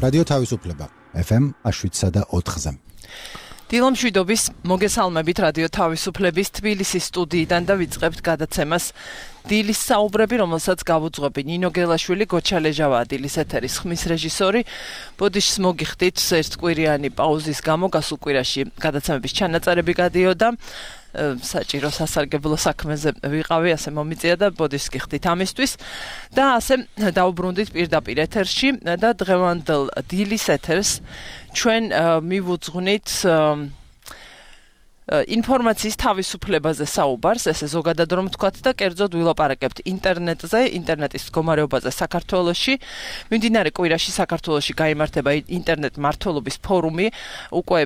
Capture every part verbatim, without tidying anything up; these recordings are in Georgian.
რადიო თავისუფლება ეფ ემ შვიდსა და ოთხზე. დილომშვიდობის მოგესალმებით რადიო თავისუფლების თბილისის სტუდიიდან და ვიწყებთ გადაცემას დილის საუბრები, რომელსაც გავუძღვები ნინო გელაშვილი, გოჩა ლეჟავაა დილის ეთერის ხმის რეჟისორი. ბოდიშს მოგიხდით ერთკვირიანი პაუზის გამო გასულ კვირაში გადაცემების ჩანაწერები გადიოდა. საჭირო სასარგებლო საქმეზე ვიყავი, ასე მომიწია და ბოდიშს გიხდით ამისთვის და ასე დავუბრუნდით პირდაპირ ეთერში და დღევანდელ დილის ეთერს ჩვენ მივუძღვნით ინფორმაციის თავისუფლებაზე საუბარს, ესე ზოგადად რომ ვთქვათ და კერძოდ ვილაპარაკებთ ინტერნეტზე, ინტერნეტის მდგომარეობაზე საქართველოში. მიმდინარე კვირაში საქართველოში გაიმართება ინტერნეტ მმართველობის ფორუმი, უკვე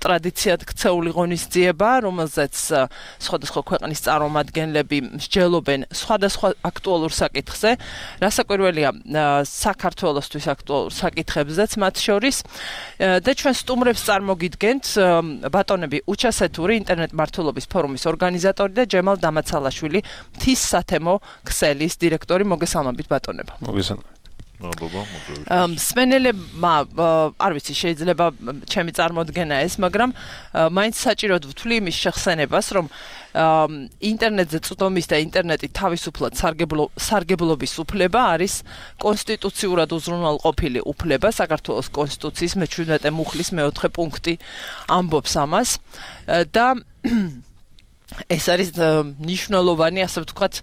ტრადიციად ქცეული ღონისძიება, რომელზეც სხვადასხვა ქვეყნის წარმომადგენლები მსჯელობენ სხვადასხვა აქტუალურ საკითხზე, რასაკვირველია საქართველოსთვის აქტუალურ საკითხებზეც მათ შორის და ჩვენ სტუმრებს წარმოგიდგენთ ბატონები უჩასეთური ინტერნეტ მმართველობის ფორუმის ორგანიზატორი და ჯემალ დამაცალაშვილი, მთის სათემო ქსელის დირექტორი. მოგესალმებით ბატონებო. მოგესალმებით. მსმენელებმა არ ვიცი, შეიძლება ჩემი წარმოდგენა ეს, მაგრამ მაინც საჭიროდ ვთვლი იმის შეხსენებას, რომ ინტერნეტზე წვდომის და ინტერნეტი თავისუფლად სარგებლობის უფლება არის კონსტიტუციურად უზრუნველყოფილი უფლება. საქართველოს კონსტიტუციის მეჩვიდმეტე მუხლის მეოთხე პუნქტი ამბობს ამას და ეს არის მნიშვნელოვანი, ასე ვთქვათ,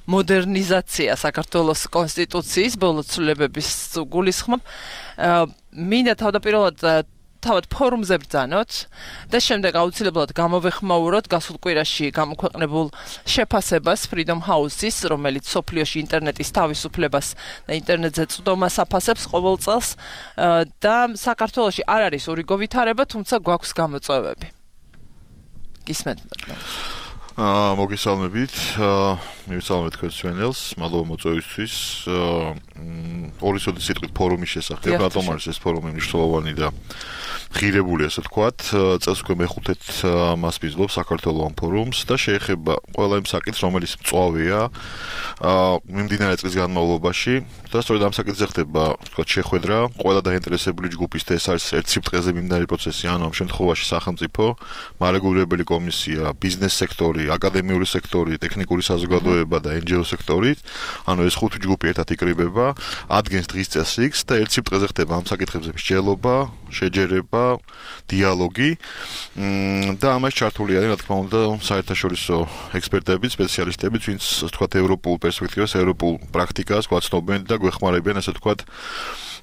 მოდერნიზაცია საქართველოს კონსტიტუციის ბოლო ცვლილებების გულისხმობ. მინდა თავდაპირველად თავად ფორუმზე ბრძანოთ და შემდეგ აუცილებლად გამოვეხმაუროთ გასულ კვირაში გამოქვეყნებულ შეფასებას Freedom House-ის, რომელიც სოფლიოში ინტერნეტის თავისუფლებას და ინტერნეტზე წვდომას აფასებს ყოველ წელს და საქართველოში არ არის ურიგო ვითარება, თუმცა გვაქვს გამოწვევები. გისმენთ. აა მოგესალმებით. მივესალმებით თქვენს ჩვენელს, მადლობა მოწვევისთვის. ორი სოდი სიტყვით ფორუმის შესახებ, რატომ არის ეს ფორუმი მნიშვნელოვანი და ღირებული, ასე ვთქვათ, წელს უკვე მეხუთედ მას ვიძღობ საქართველოს ამ ფორუმს და შეეხება ყველა იმ საკითხს, რომელიც მწვავეა აა მიმდინარე წლის განმავლობაში და სწორედ ამ საკითხზე ხდება, ვთქვათ, შეხვედრა ყველა დაინტერესებული ჯგუფის და ეს არის ერთ სიბრტყეზე მიმდინარე პროცესი, ანუ ამ შემთხვევაში სახელმწიფო, მარეგულირებელი კომისია, ბიზნეს სექტორი, აკადემიური სექტორი, ტექნიკური საზოგადოება და en ge o სექტორი, ანუ ეს ხუთი ჯგუფი ერთად იკრიბება, ადგენს დღის წესრიგს და ერთ სიბრტყეზე ხდება ამ საკითხებზე მსჯელობა, შეჯერება, დიალოგი და ამას ჩართული არის, რა თქმა უნდა, საერთაშორისო ექსპერტები, სპეციალისტები, ვინც თქვათ ევროპულ პერსპექტივას, ევროპულ პრაქტიკას გვაცნობენ და გვეხმარებიან, ასე თქვათ,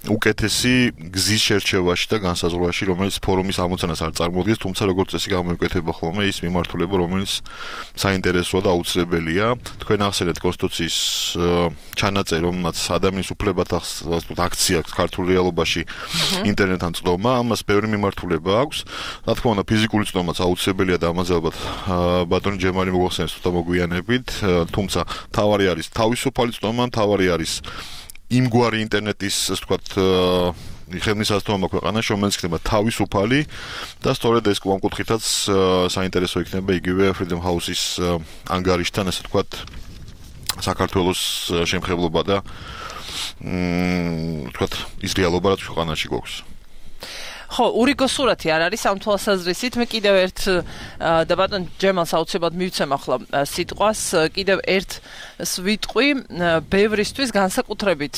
უკეთესი გზის შერჩევაში და განსაზღვრაში, რომელიც ფორუმის ამოცანას არ წარმოადგენს, თუმცა როგორც წესი გამოიკეთება ხოლმე ის მიმართულება, რომელიც საინტერესოა და აუცილებელია. თქვენ ახსენეთ კონსტიტუციის ჩანაწერი, რომელმაც ადამიანის უფლებათა აქცია ქართულ რეალობაში ინტერნეტთან წვდომა, ამას ბევრი მიმართულება აქვს. რა თქმა უნდა, ფიზიკური წვდომაც აუცილებელია და ამაზე ალბათ ბატონი ჯემალი მოგახსენებს თუ მოგვიანებით, თუმცა თავარი არის თავისუფალი წვდომა, თავარი არის იმგვარი ინტერნეტის, ასე ვთქვათ, ხელმისაწვდომობა ქვეყანაში, რომელიც იქნება თავისუფალი და სწორედ ეს ამ კუთხითაც საინტერესო იქნება იგივე Freedom House-ის ანგარიშთან, ასე ვთქვათ, საქართველოს შემხებლობა და ვთქვათ, ის რეალობა, რაც ქვეყანაში გვაქვს. ხო, ურიგო სურათი არ არის ამ თვალსაზრისით. მე კიდევ ერთ და ბატონ ჯემალს აუცილებლად მივცემ ახლა სიტყვას, კიდევ ერთს ვიტყვი, ბევრისთვის განსაკუთრებით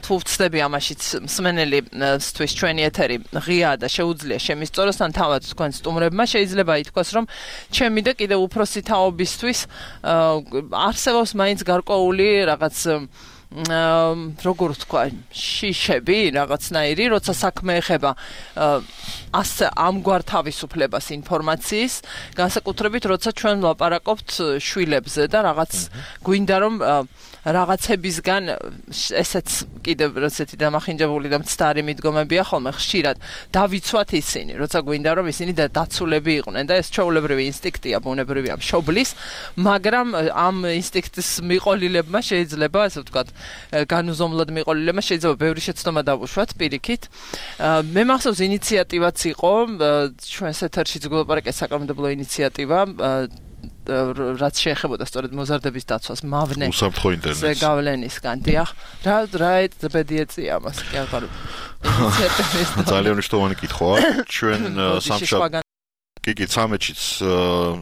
თუ ვცდები ამაშიც მსმენელისთვის ჩვენი ეთერი ღია და შეუძლია შემისწოროს, თან თავად თქვენ სტუმრებმა შეიძლება ითქვას, რომ ჩემი და კიდევ უფროსი თაობისთვის არსებობს მაინც გარკვეული რაღაც როგორ ვთქვა, შიშები რაღაცნაირი, როცა საქმე ეხება ასე ამგვარ თავისუფლებას ინფორმაციის, განსაკუთრებით როცა ჩვენ ვლაპარაკობთ შვილებზე და რაღაც გვინდა რომ რაღაცებისგან ესეც კიდევ როცეთი დამახინჯებული და მცდარი მიდგომებია ხოლმე ხშირად დავიცვათ ისინი, როცა გვინდა რომ ისინი დაცულები იყვნენ და ეს ჩვეულებრივი ინსტინქტია, ბუნებრივია მშობლის, მაგრამ ამ ინსტინქტის მიყოლილებმა შეიძლება, ასე ვთქვათ, განუზომლოდ მიყოლილებმა შეიძლება ბევრი შეცდომა დავუშვათ პირიქით. მე მახსოვს ინიციატივაც იყო, ჩვენს ეთერშიც გულაპარაკეთ საკანონმდებლო ინიციატივა რაც შეეხებოდა სწორედ მოზარდების დაცვას მავნე უსაფრთხო ინტერნეტს გავლენისგან დიახ რა რა ბედიეწია ამას კი აღარ ძალიან მნიშვნელოვანი კითხვაა ჩვენ სამშაბათს კი კი ცამეტშიც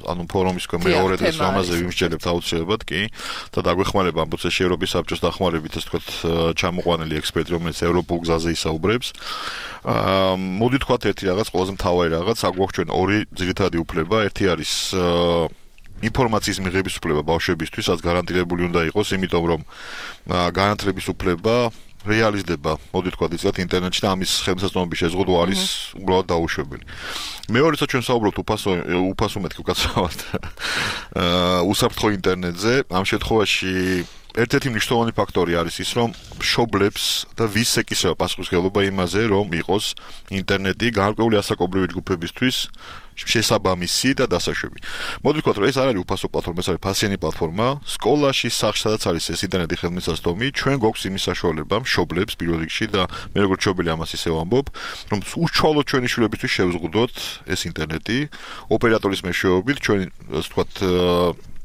ანუ ფორუმის მეორე დღეს ამაზე ვიმსჯელებთ აუცილებლად კი და დაგვეხმარება ამ პროცესში ევროპის საბჭოს დახმარებით ასე ვთქვათ ჩამოყვანილი ექსპერტი რომელიც ევროპულ გზაზე ისაუბრებს მოდი ვთქვათ ერთი რაღაც ყველაზე მთავარი რაღაც აგვაქვს ჩვენ ორი ძირითადი უფლება ერთი არის ინფორმაციის მიღების უფლება ბავშვებისთვის რაც გარანტირებული უნდა იყოს იმიტომ რომ განათლების უფლება რეალიზდება მოდი ვთქვათ იცით ინტერნეტში და ამის ხელმისაწვდომობის შეზღუდვა არის უბრალოდ დაუშვებელი მეორეც ჩვენ საუბრობთ უფასო უფასო მეთქი უკაცრავად უსაფრთხო ინტერნეტზე ამ შემთხვევაში ერთ-ერთი მნიშვნელოვანი ფაქტორი არის ის რომ მშობლებს და ვის ეკისრება პასუხისმგებლობა იმაზე რომ იყოს ინტერნეტი გარკვეული ასაკობრივი ჯგუფებისთვის შესაბამისი და დასაშვები. მოდი ვთქვათ, რომ ეს არ არის უფასო პლატფორმა, ეს არის ფასიანი პლატფორმა. სკოლაში, სახლში, სადაც არის ეს ინტერნეტი ხელმისაწვდომი, ჩვენ გვაქვს იმის საშუალება, მშობლებს პირველ რიგში და მე როგორც მშობელი ამას ისევ ამბობ, რომ უშუალოდ ჩვენი შვილებისთვის შევზღუდოთ ეს ინტერნეტი ოპერატორის მეშვეობით, ჩვენ ასე ვთქვათ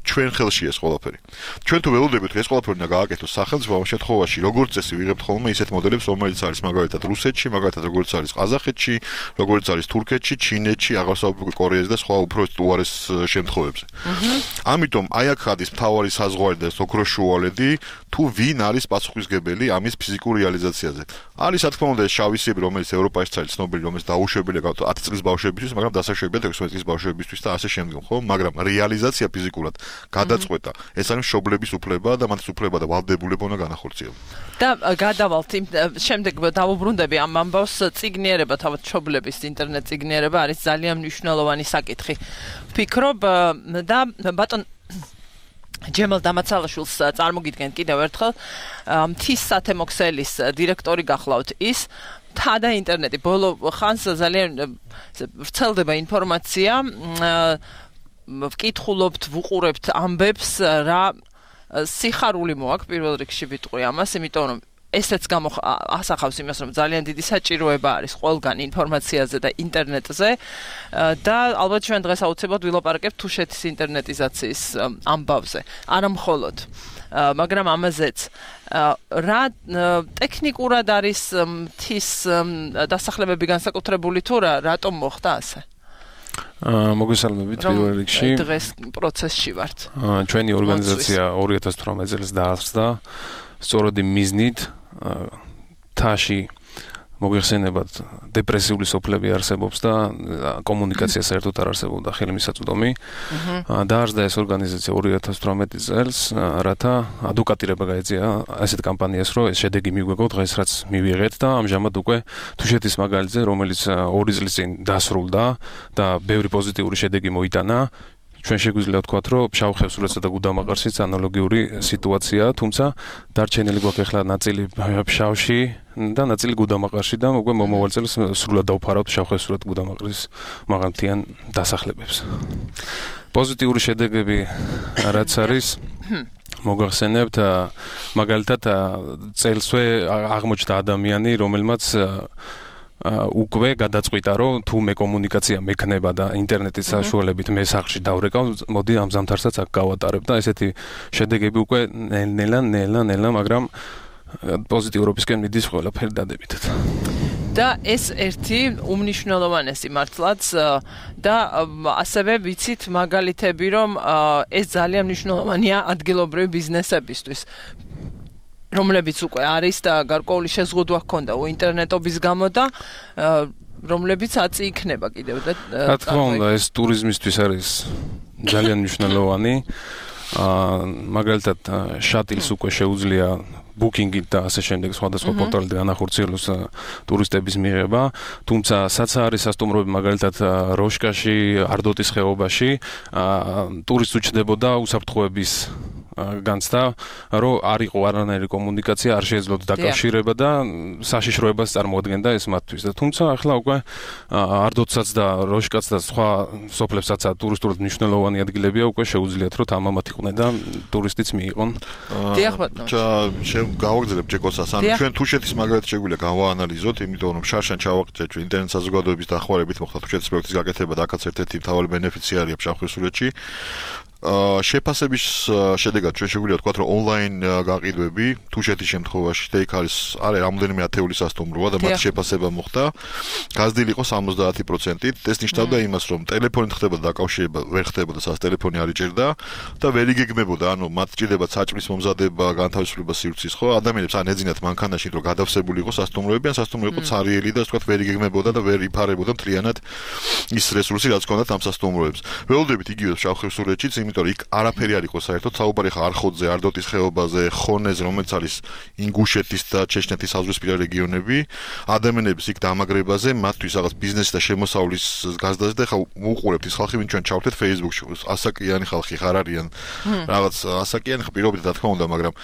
ჩვენ ხელში ეს ყველაფერი. ჩვენ თუ ველოდებით ეს ყველაფერი უნდა გააკეთოს სახელმწიფო ამ შემთხვევაში როგორც წესი ვიღებთ ხოლმე ისეთ მოდელებს რომელიც არის მაგალითად რუსეთში, მაგალითად როგორც არის ყაზახეთში, როგორც არის თურქეთში, ჩინეთში, აღარსაუბრ კორეაზე და სხვა უფრო უარეს შემთხვევებზე. ამიტომ აი აქ არის მთავარი საზღვარი და ოქროს შუალედი თუ ვინ არის პასუხისმგებელი ამის ფიზიკურ რეალიზაციაზე. არის რა თქმა უნდა ეს შავისები რომელიც ევროპაში არის ცნობილი რომელიც დაუშვებელია ათი წლის ბავშვებისთვის, მაგრამ დასაშვებია ექვსმეტ წლის ბავშვებისთვის და ასე შემდეგ, ხო? მაგრამ რეალიზაცია ფიზიკურად გადაწყვეტა. ეს არის მშობლების უფლება და მათი უფლება და ვალდებულება უნდა განახორციელოს. და გადავალთ იმ შემდეგ დავუბრუნდები ამ ამბავს წიგნიერება თავად მშობლების ინტერნეტ წიგნიერება არის ძალიან მნიშვნელოვანი საკითხი. ვფიქრობ და ბატონ ჯემალ დამაცალაშვილს წარმოგიდგენთ კიდევ ერთხელ მთის სათემო ქსელის დირექტორი გახლავთ ის თა და ინტერნეტი ბოლო ხანს ძალიან ვრცელდება ინფორმაცია ვკითხულობთ, ვუყურებთ ამბებს, რა სიხარული მოაქვს პირველ რიგში ვიტყვი ამას, იმიტომ რომ ესეც ასახავს იმას, რომ ძალიან დიდი საჭიროება არის ყველგან ინფორმაციაზე და ინტერნეტზე და ალბათ ჩვენ დღეს აუცილებლად ვილაპარაკებთ თუშეთის ინტერნეტიზაციის ამბავზე. არა მხოლოდ, მაგრამ ამაზეც რა ტექნიკურად არის მთის დასახლებები განსაკუთრებული თუ რა, რატომ მოხდა ასე? მოგესალმებით პირველ რიგში. დღეს პროცესში ვართ. ჩვენი ორგანიზაცია ორი ათას თვრამეტ წელს დაარსდა სწორედ იმ მიზნით თაში მოგეხსენებათ დეპრესიული სოფლები არსებობს და კომუნიკაცია საერთოდ არ არსებობდა ხელმისაწვდომი. დაარსდა ეს ორგანიზაცია ორი ათას თვრამეტ წელს, რათა ადვოკატირება გაეწია ასეთ კამპანიას, რომ ეს შედეგი მიგვეღო დღეს რაც მივიღეთ და ამჟამად უკვე თუშეთის მაგალითზე, რომელიც ორი წლის წინ დასრულდა და ბევრი პოზიტიური შედეგი მოიტანა. ჩვენ შეგვიძლია ვთქვათ, რომ ფშავ ხევსურეთსა და გუდამაყარშიც ანალოგიური სიტუაცია, თუმცა დარჩენილი გვაქვს ახლა ნაწილი ფშავში და ნაწილი გუდამაყარში და უკვე მომავალ წელს სრულად დავფარავთ ფშავ ხევსურეთ გუდამაყრის მაღალმთიან დასახლებებს. პოზიტიური შედეგები რაც არის მოგახსენებთ მაგალითად წელსვე აღმოჩნდა ადამიანი, რომელმაც უკვე გადაწყვიტა რომ თუ მე კომუნიკაცია მექნება და ინტერნეტის საშუალებით მე სახლში დავრეკავ, მოდი ამ ზამთარსაც აქ გავატარებ და ესეთი შედეგები უკვე ნელა ნელა ნელა, მაგრამ პოზიტიურობისკენ მიდის ყველაფერი დადებითად. და ეს ერთი უმნიშვნელოვანესი მართლაც და ასევე ვიცით მაგალითები რომ ეს ძალიან მნიშვნელოვანია ადგილობრივი ბიზნესებისთვის. რომლებიც უკვე არის და გარკვეული შეზღუდვა ჰქონდა ინტერნეტობის გამო და რომლებიც აწი იქნება კიდევ და რა თქმა უნდა ეს ტურიზმისთვის არის ძალიან მნიშვნელოვანი. მაგალითად შატილს უკვე შეუძლია ბუკინგით და ასე შემდეგ სხვადასხვა პორტალით განახორციელოს ტურისტების მიღება, თუმცა საცა არის სასტუმროები მაგალითად როშკაში, არდოტის ხეობაში, ტურისტს უჩნდებოდა უსაფრთხოების განცდა, რომ არ იყო არანაირი კომუნიკაცია, არ შეეძლოთ დაკავშირება და საშიშროებას წარმოადგენდა ეს მათთვის. და თუმცა ახლა უკვე არდოტსაც და როშკაც და სხვა სოფლებსაც ტურისტულად მნიშვნელოვანი ადგილებია, უკვე შეუძლიათ რომ თამამად იყვნენ და ტურისტიც მიიღონ. დიახ ბატონო. გავაგზავნებ ჯეკოსას, ან ჩვენ თუშეთის მაგალითად შეგვიძლია გავაანალიზოთ, იმიტომ რომ შარშან ჩავაგზავნეთ ჩვენ ინტერნეტ საზოგადოების დახმარებით მოხდა თუშეთის პროექტის გაკეთება და აქაც ერთ-ერთი მთავარი ბენეფიციარია ფშავ ხევსურეთში. შეფასების შედეგად ჩვენ შეგვიძლია ვთქვათ, რომ ონლაინ გაყიდვები თუ შეეთის შემთხვევაში და იქ არის არის რამოდენიმე ათეული სასტუმროა და მათ შეფასება მოხდა, გაზრდილი იყო სამოცდაათი პროცენტით. ეს ნიშნავდა იმას, რომ ტელეფონით ხდება დაკავშირება, ვერ ხდებოდა, სადაც ტელეფონი არ იჭერდა და ვერ იგეგმებოდა, ანუ მათ ჭირდება საჭმლის მომზადება, განთავისუფლება სივრცის, ხო? ადამიანებს ან ეძინათ მანქანაში, რომ გადავსებული იყო სასტუმროები, ან სასტუმრო იყო цаრიელი და ვთქვათ, ვერ იგეგმებოდა და ვერ იფარებოდა მთლიანად ის რესურსი, რაც ჰქონდათ ამ სასტუმროებს. ველოდებით იგივე შავხევსურეთშიც, იმიტომ რომ იქ არაფერი არ იყო საერთოდ, საუბარი ხა არხოდზე, არდოტის ხეობაზე, ხონეზე, რომელიც არის ინგუშეთის და ჩეჩნეთის საზღვრისპირა რეგიონები, ადამიანების იქ დამაგრებაზე, მათთვის რაღაც ბიზნესი და შემოსავლის გაზრდაზე და ხა უყურებთ ის ხალხი, ვინც ჩვენ ჩავთეთ Facebook-ში, ასაკიანი ხალხი ხარ არიან. რაღაც ასაკიანი ხა პირობითად რა თქმა უნდა, მაგრამ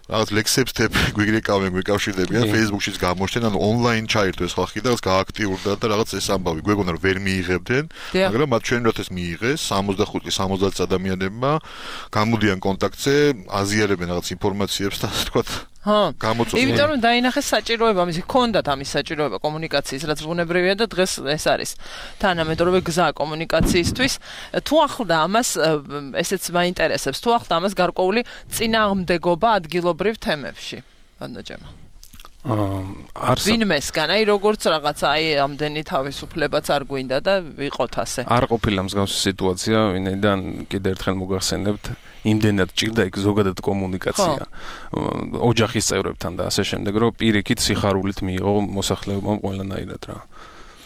რაღაც ლექსებს თებ გვიგრეკავენ, გვიკავშირდებიან Facebook-შიც გამოჩნდნენ, ანუ ონლაინ ჩაერთო ეს ხალხი და რაღაც გააქტიურდა და რაღაც ეს ამბავი გვეგონა რომ ვერ მიიღებდნენ, მაგრამ მათ ჩვენ როდეს მიიღეს სამოცდახუთი სამოცდაათი ადამიანებმა გამოდიან კონტაქტზე, აზიარებენ რაღაც ინფორმაციებს და ასე თქვა ჰა, გამოწვევენ. იმიტომ რომ დაინახეს საჭიროება, ამისი ჰქონდათ ამის საჭიროება კომუნიკაციის, რაც ბუნებრივია და დღეს ეს არის თანამედროვე გზა კომუნიკაციისთვის. თუ ახლდა ამას, ესეც მაინტერესებს, თუ ახლდა ამას გარკვეული წინააღმდეგობა ადგილობრივ თემებში. ბანდაჯემა. აა არს ვინმესგან, აი როგორც რაღაც აი ამდენი თავისუფლებაც არ გვინდა და ვიყოთ ასე. არ ყოფილა მსგავსი სიტუაცია, ვინაიდან კიდევ ერთხელ მოგახსენებთ, იმდენად ჭირდა იქ ზოგადად კომუნიკაცია ოჯახის წევრებთან და ასე შემდეგ, რომ პირიქით სიხარულით მიიღო მოსახლეობამ ყველანაირად რა.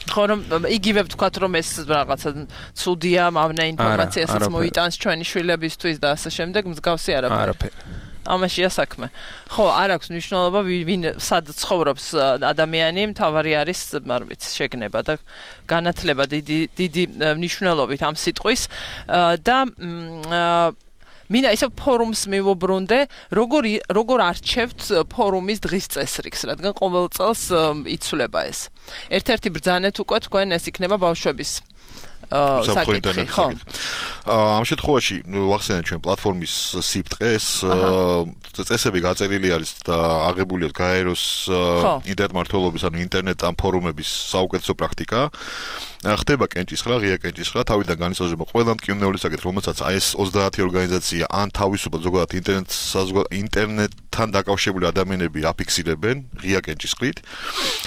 ხო რომ იგივე ვთქვათ რომ ეს რაღაცა ცუდია, მავნე ინფორმაციასაც მოიტანს ჩვენი შვილებისთვის და ასე შემდეგ, მსგავსი არაფერი. არაფერი. ამაშია საქმე. ხო, არ აქვს მნიშვნელობა ვინ სად ცხოვრობს ადამიანი, მთავარი არის, არ ვიცი, შეგნება და განათლება დიდი დიდი მნიშვნელობით ამ სიტყვის და მინდა ისე ფორუმს მივუბრუნდე, როგორ როგორ არჩევთ ფორუმის დღის წესრიგს, რადგან ყოველ წელს იცვლება ეს. ერთ-ერთი ბრძანეთ უკვე თქვენ ეს იქნება ბავშვების საკითხი, ხო. ამ შემთხვევაში ვახსენეთ ჩვენ პლატფორმის სიფტყეს, წესები გაწერილი არის და აღებული აქვს გაეროს ინტერმმართველობის, ანუ ინტერნეტ ამ ფორუმების საუკეთესო პრაქტიკა. ხდება კენჭისხრა, ღია კენჭისხრა, თავიდან განისაზღვრება ყველა მტკივნეული საკითხი, რომელსაც აი ეს ოცდაათი ორგანიზაცია ან თავისუფლად ზოგადად ინტერნეტ ინტერნეტთან დაკავშირებული ადამიანები აფიქსირებენ ღია კენჭისყრით.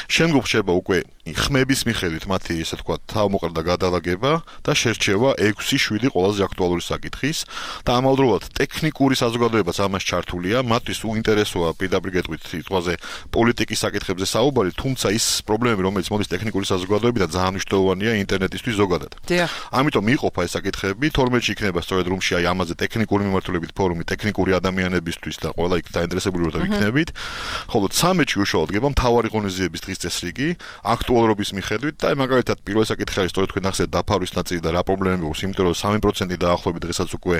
შემდგომ ხდება უკვე ხმების მიხედვით მათი ესე თქვა თავმოყრა გადალაგება და შერჩევა ექვსი შვიდი ყველაზე აქტუალური საკითხის და ამავდროულად ტექნიკური საზოგადოებაც ამას ჩართულია, მათთვის უინტერესოა პირდაპირ გეტყვით სიტყვაზე პოლიტიკის საკითხებზე საუბარი, თუმცა ის პრობლემები, რომელიც მოდის ტექნიკური საზოგადოებიდან ძალიან მნიშვნელოვანია ინტერნეტისთვის ზოგადად. ამიტომ მიყოფა ეს საკითხები, თორმეტში იქნება სწორედ რუმში აი ამაზე ტექნიკური მიმართულებით ფორუმი, ტექნიკური ადამიანებისთვის და ყველა იქ დაინტერესებული რო იქნებით. ხოლო ცამეტში უშუალოდ გება მთავარი ღონისძიების დღის წესრიგი, აქტუალურობის მიხედვით და მაგალითად პირველ საკითხი არის სწორედ თქვენ ახსენეთ დაფარვის ნაწილი და რა პრობლემები აქვს, იმიტომ რომ სამი პროცენტი დაახლოებით დღესაც უკვე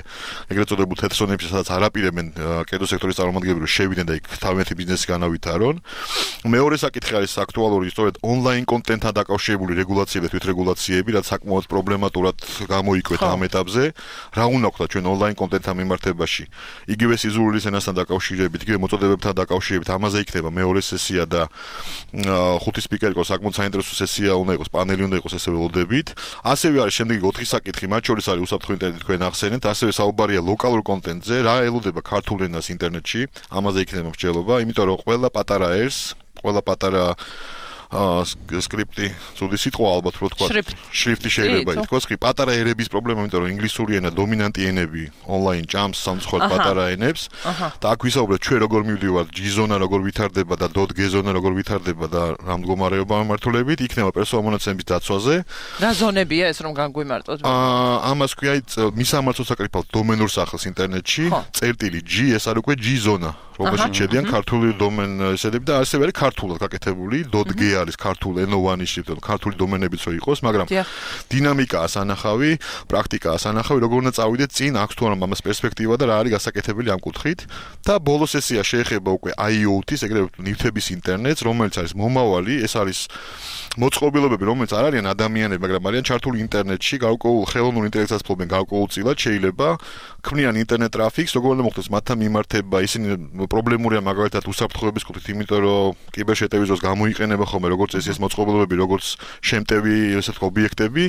ეგრეთ წოდებულ თეთრ ზონებში სადაც არაპირებენ კერძო სექტორის წარმომადგენლები შევიდნენ და იქ თავიანთი ბიზნესი განავითარონ. მეორე საკითხი არის აქტუალური სწორედ ონლაინ კონტენტთან დაკავშირებული რეგულაციები, თვითრეგულაციები, რაც საკმაოდ პრობლემატურად გამოიკვეთ ამ ეტაპზე. რა უნდა ვქოთ ჩვენ ონლაინ კონტენტთან მიმართებაში? იგივე სიზურულის ენასთან დაკავშირებით, იგივე მოწოდებებთან დაკავშირებით, ამაზე იქნება მეორე სესია და ხუთი სპიკერი იყო საკმაოდ საინტერესო სესია უნდა იყოს, პანელი უნდა იყოს, ესე ველოდებით. ასევე არის შემდეგი ოთხი საკითხი, მათ შორის არის უსაფრთხო ინტერნეტი თქვენ ახსენეთ, ასევე საუბარია ლოკალურ კონტენტზე, რა ელოდება ქართულ ენას ინტერნეტში, ამაზე იქნება მსჯელობა, იმიტომ რომ ყველა პატარა ერს, ყველა პატარა სკრიპტი, ცუდი სიტყვა ალბათ რო თქვა, შრიფტი შეიძლება ითქვას, კი პატარა ერების პრობლემა, იმიტომ რომ ინგლისური ენა დომინანტი ენები ონლაინ ჭამს სამწუხაროდ პატარა ენებს და აქ ვისაუბრეთ ჩვენ როგორ მივდივართ ჯი-ზონა როგორ ვითარდება და .g-ზონა როგორ ვითარდება და რა მდგომარეობა მიმართულებით, იქნება პერსონალ მონაცემების დაცვაზე. რა ზონებია ეს რომ განგვიმარტოთ? აა ამას ქვია მისამართო საკრიფალ დომენურ სახელს ინტერნეტში, წერტილი G, ეს არის უკვე ჯი-ზონა. რომელშიც შედიან ქართული დომენები და ასევე არის ქართულად გაკეთებული .g არის ქართულ ენოვანი შრიფტი, ქართული დომენებიც რო იყოს, მაგრამ დინამიკაა სანახავი, პრაქტიკაა სანახავი, როგორ უნდა წავიდეთ წინ, აქვს თუ არა ამას პერსპექტივა და რა არის გასაკეთებელი ამ კუთხით. და ბოლო სესია შეეხება უკვე აი ო 티-ს, ეგრევე ნივთების ინტერნეტს, რომელიც არის მომავალი, ეს არის მოწყობილობები, რომელიც არ არიან ადამიანები, მაგრამ არიან ჩართული ინტერნეტში, გარკვეულ ხელოვნურ ინტელექტსაც ფლობენ გარკვეულწილად, შეიძლება ქმნიან ინტერნეტ ტრაფიკს, როგორ უნდა მოხდეს მათთან მიმართება, ისინი პრობლემურია მაგალითად უსაფრთხოების კუთხით, იმიტომ რომ კიბერშეტევის დროს გამოიყენება ხოლმე როგორც ეს ეს მოწყობილობები, როგორც შემტევი, ესე ვთქვათ, ობიექტები.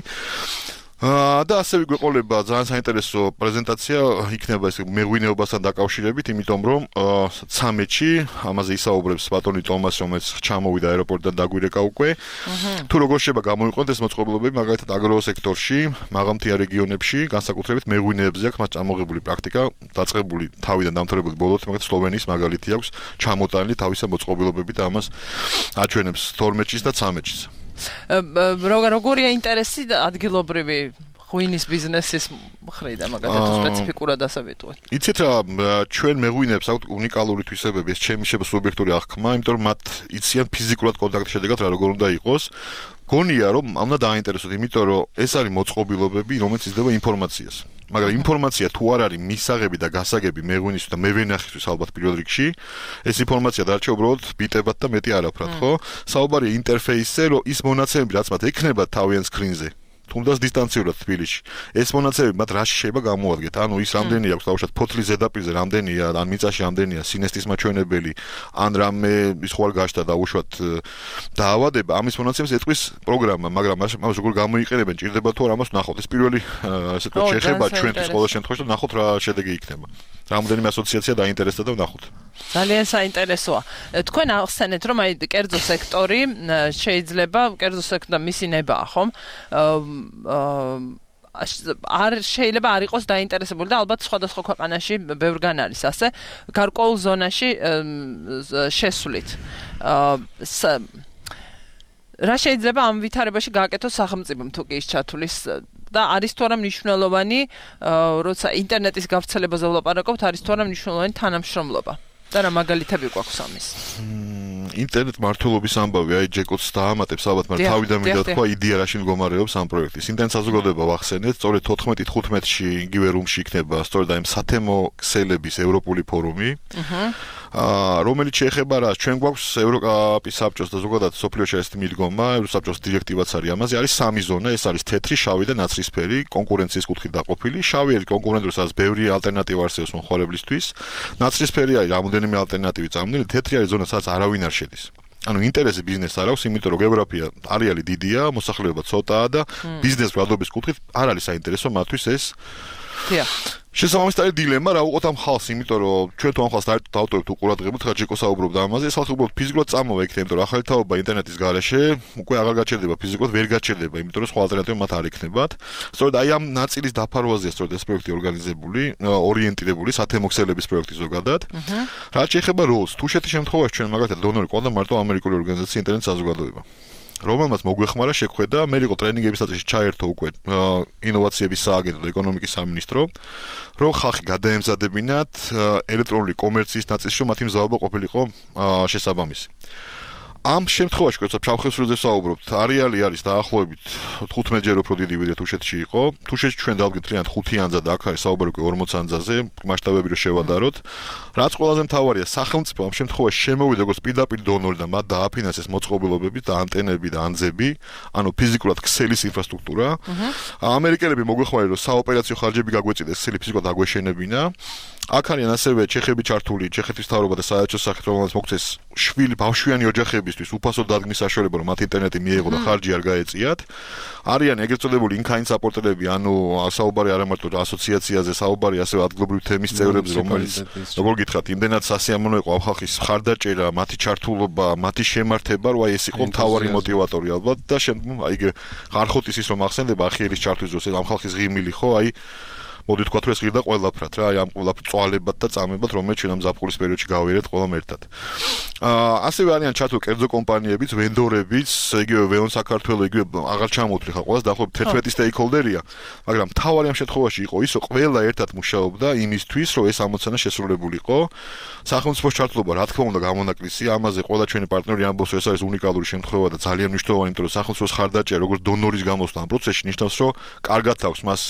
აა და ასევე გვეყოლება ძალიან საინტერესო პრეზენტაცია იქნება ეს მეღვინეობასთან დაკავშირებით, იმიტომ რომ ცამეტში ამაზე ისაუბრებს ბატონი ტომას, რომელიც ჩამოვიდა აეროპორტიდან დაგვირეკა უკვე. თუ როგორ შეიძლება გამოიყენოთ ეს მოწყობილობები, მაგალითად აგროსექტორში, მაღალმთიან რეგიონებში, განსაკუთრებით მეღვინეებზე აქვს მას წამოღებული პრაქტიკა, დაწყებული თავიდან დამთავრებული ბოლოთ, მაგალითად სლოვენიის მაგალითი აქვს ჩამოტანილი თავისა მოწყობილობები და ამას აჩვენებს თორმეტშიც და ცამეტშიც. როგორია ინტერესი ადგილობრივი ღვინის ბიზნესის მხრიდან მაგალითად სპეციფიკურად ასე ვიტყვით. იცით რა, ჩვენ მეღვინეებს აქვთ უნიკალური თვისებები, ეს ჩემი შეიძლება სუბიექტური აღქმა, იმიტომ რომ მათ იციან ფიზიკურად კონტაქტის შედეგად რა როგორ უნდა იყოს. გონია რომ ამ უნდა დააინტერესოთ, იმიტომ რომ ეს არის მოწყობილობები, რომელიც იძლევა ინფორმაციას. მაგრამ ინფორმაცია თუ არ არის მისაღები და გასაგები მეღვინისთვის და მევენახისთვის ალბათ პირველ რიგში, ეს ინფორმაცია დარჩა უბრალოდ ბიტებად და მეტი არაფრად, ხო? საუბარია ინტერფეისზე, რომ ის მონაცემები, რაც მათ ექნება თავიანთ სკრინზე, თუნდაც დისტანციურად თბილისში. ეს მონაცემები მათ რაში შეიძლება გამოადგეთ? ანუ ის რამდენი აქვს თავშად ფოთლის ზედაპირზე რამდენია, ან მიწაში რამდენია სინესტის მაჩვენებელი, ან რამე ის ხوار გაშთა და უშუალოდ დაავადება, ამის მონაცემებს ეტყვის პროგრამა, მაგრამ ამას როგორ გამოიყენებენ, ჭირდება თუ არა ამას ნახოთ. ეს პირველი ასე ვთქვათ შეხება ჩვენთვის ყოველ შემთხვევაში და ნახოთ რა შედეგი იქნება. რამდენიმე ასოციაცია დაინტერესდა და ნახოთ. ძალიან საინტერესოა. თქვენ ახსენეთ, რომ აი კერძო სექტორი შეიძლება კერძო სექტორ მისი ნება ხომ? არ შეიძლება არ იყოს დაინტერესებული და ალბათ სხვადასხვა ქვეყანაში ბევრგან არის ასე გარკვეულ ზონაში შესვლით. რა შეიძლება ამ ვითარებაში გააკეთოს სახელმწიფომ თუ კი ის ჩათulis და არის თუ არა მნიშვნელოვანი, როცა ინტერნეტის გავრცელებაზე ვლაპარაკობთ, არის თუ არა მნიშვნელოვანი თანამშრომლობა? და რა მაგალითები გვაქვს ამის? ინტერნეტ მართლობის ამბავი, აი ჯეკოც დაამატებს ალბათ, მაგრამ თავიდან მინდა თქვა იდეა რაში მდგომარეობს ამ პროექტის. ინტერნეტ საზოგადოება ვახსენეთ, სწორედ თოთხმეტი თხუთმეტში იგივე რუმში იქნება სწორედ აი სათემო ქსელების ევროპული ფორუმი. აა რომელიც შეეხება რა, ჩვენ გვაქვს ევროპის საბჭოს და ზოგადად სოფლიოში ეს მიდგომა, ევროსაბჭოს დირექტივაც არის ამაზე, არის სამი ზონა, ეს არის თეთრი, შავი და ნაცრისფერი, კონკურენციის კუთხით დაყოფილი. შავი არის კონკურენტული, სადაც ბევრი ალტერნატივა არსებობს მომხმარებლისთვის. ნაცრისფერი არის რამოდენიმე ალტერნატივი წამონდილი, თეთრი არის ზონა, სადაც არავინ არ შედის. ანუ ინტერესი ბიზნესს არ აქვს, იმიტომ რომ გეოგრაფია არეალი დიდია, მოსახლეობა ცოტაა და ბიზნეს ბრალდობის კუთხით არ არის საინტერესო მათთვის ეს. დიახ. შესაბამისად არის დილემა რა უყოთ ამ ხალხს, იმიტომ რომ ჩვენ თუ ამ ხალხს დავტოვებთ უყურადღებოთ, ხა ჯეკო საუბრობდა ამაზე, ეს ხალხი უბრალოდ ფიზიკურად წამოვა იქნება, იმიტომ რომ ახალი თაობა ინტერნეტის გარეშე უკვე აღარ გაჩერდება ფიზიკურად, ვერ გაჩერდება, იმიტომ რომ სხვა ალტერნატივა მათ არ იქნებათ. სწორედ აი ამ ნაწილის დაფარვაზეა სწორედ ეს პროექტი ორგანიზებული, ორიენტირებული სათემო ქსელების პროექტი ზოგადად. რაც შეეხება როლს, თუშეთის შემთხვევაში ჩვენ მაგალითად დონორი ყავდა მარტო ამერიკული ორგანიზაცია ინტერნეტ საზოგადოება. რომელმაც მოგვეხმარა შეხვედა, მე იყო ტრენინგების წესში ჩაერთო უკვე ინოვაციების სააგენტო და ეკონომიკის სამინისტრო, რომ ხალხი გადაემზადებინათ ელექტრონული კომერციის ნაწილში, რომ მათი მზაობა ყოფილიყო შესაბამისი. ამ შემთხვევაში, როცა ფშავ-ხევსურზე საუბრობთ, არეალი არის დაახლოებით თხუთმეტჯერ უფრო დიდი, ვიდრე თუშეთში იყო. თუშეთში ჩვენ დავდგეთ რიანად ხუთი ანძა და აქ არის საუბარი უკვე ორმოცი ანძაზე, მასშტაბები რო შევადაროთ. რაც ყველაზე მთავარია, სახელმწიფო ამ შემთხვევაში შემოვიდა როგორც პირდაპირ დონორი და მათ დააფინანსეს მოწყობილობები და ანტენები და ანძები, ანუ ფიზიკურად ქსელის ინფრასტრუქტურა. ამერიკელები მოგვეხმარეს, რომ საოპერაციო ხარჯები გაგვეწიდეს, ქსელი ფიზიკურად აგვეშენებინა. აქ არიან ასევე ჩეხები ჩართული, ჩეხეთის მთავრობა და საელჩოს სახით, რომელსაც მოგვცეს შვილი ბავშვიანი ოჯახებისთვის უფასო დადგმის საშუალება, რომ მათ ინტერნეტი მიეღო და ხარჯი არ გაეწიათ. არიან ეგრეთ წოდებული in-kind საპორტერები, ანუ საუბარი არა მარტო ასოციაციაზე, საუბარი ასევე ადგილობრივი თემის წევრებზე, რომელიც როგორ გითხრათ, იმდენად სასიამოვნო იყო ამ ხალხის მხარდაჭერა, მათი ჩართულობა, მათი შემართება, რომ აი ეს იყო მთავარი мотиваტორი ალბათ და შემდგომ აი ხარხოტის ის რომ ახსენდება ახიერის ჩართვის დროს ამ ხალხის ღიმილი ხო, აი მოდი თქვა თუ ეს ღირდა ყველაფრად რა, აი ამ ყველაფრ წვალებად და წამებად, რომელიც ჩვენ ამ ზაფხულის პერიოდში გავიერეთ ყველამ ერთად. აა ასევე არიან ჩართული კერძო კომპანიებიც, ვენდორებიც, იგივე ვეონ საქართველო, იგივე აღარ ჩამოვთვლი ხა ყველას, დაახლოებით თერთმეტი სტეიქჰოლდერია, მაგრამ თავარი ამ შემთხვევაში იყო ის, რომ ყველა ერთად მუშაობდა იმისთვის, რომ ეს ამოცანა შესრულებულიყო. სახელმწიფოს ჩართულობა, რა თქმა უნდა, გამონაკლისია, ამაზე ყველა ჩვენი პარტნიორი ამბობს, რომ ეს არის უნიკალური შემთხვევა და ძალიან მნიშვნელოვანი, იმიტომ რომ სახელმწიფოს ხარდაჭერა, როგორც დონორის გამოსვლა ამ პროცესში ნიშნავს, რომ კარგად აქვს მას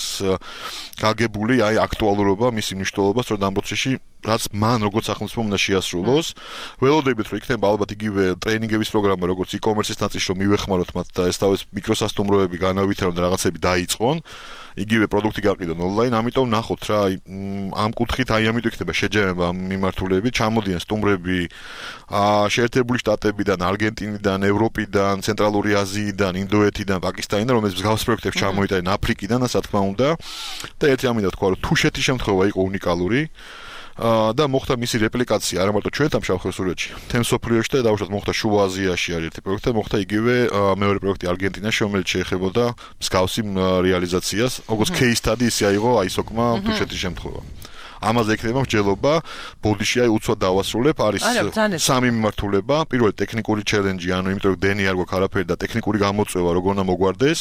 გაგ აგებული აი აქტუალურობა, მისი მნიშვნელობა სწორედ ამ პროცესში, რაც მან როგორც სახელმწიფომ უნდა შეასრულოს. ველოდებით რომ იქნება ალბათ იგივე ტრეინინგების პროგრამა, როგორც e-commerce-ის ნაწილში რომ მივეხმაროთ მათ და ეს თავის მიკროსასტუმროები განავითარონ და რაღაცები დაიწყონ. იგივე პროდუქტი გაყიდონ ონლაინ, ამიტომ ნახოთ რა, ამ კუთხით აი ამიტომ იქნება შეჯამება ამ მიმართულებით, ჩამოდიან სტუმრები შეერთებული შტატებიდან, არგენტინიდან, ევროპიდან, ცენტრალური აზიიდან, ინდოეთიდან, პაკისტანიდან, რომელიც მსგავს პროექტებს ჩამოიტანენ აფრიკიდან, ასე თქმა უნდა. და ერთი ამინდა თქვა, რომ თუშეთის შემთხვევა იყო უნიკალური. და მოხდა მისი რეპლიკაცია არა მარტო ჩვენთან შავხევსურეთში, თემსოფლიოში და დაუშვათ მოხდა შუა აზიაში არის ერთი პროექტი, მოხდა იგივე მეორე პროექტი არგენტინაში, რომელიც შეეხებოდა მსგავსი რეალიზაციას, როგორც case study ისე აიღო აისოკმა თუშეთის შემთხვევა. ამაზე ექნება მსჯელობა, ბოდიში აი უცბად დავასრულებ, არის სამი მიმართულება, პირველი ტექნიკური ჩელენჯი, ანუ იმიტომ რომ დენი არ გვაქვს არაფერი და ტექნიკური გამოწვევა როგორ უნდა მოგვარდეს.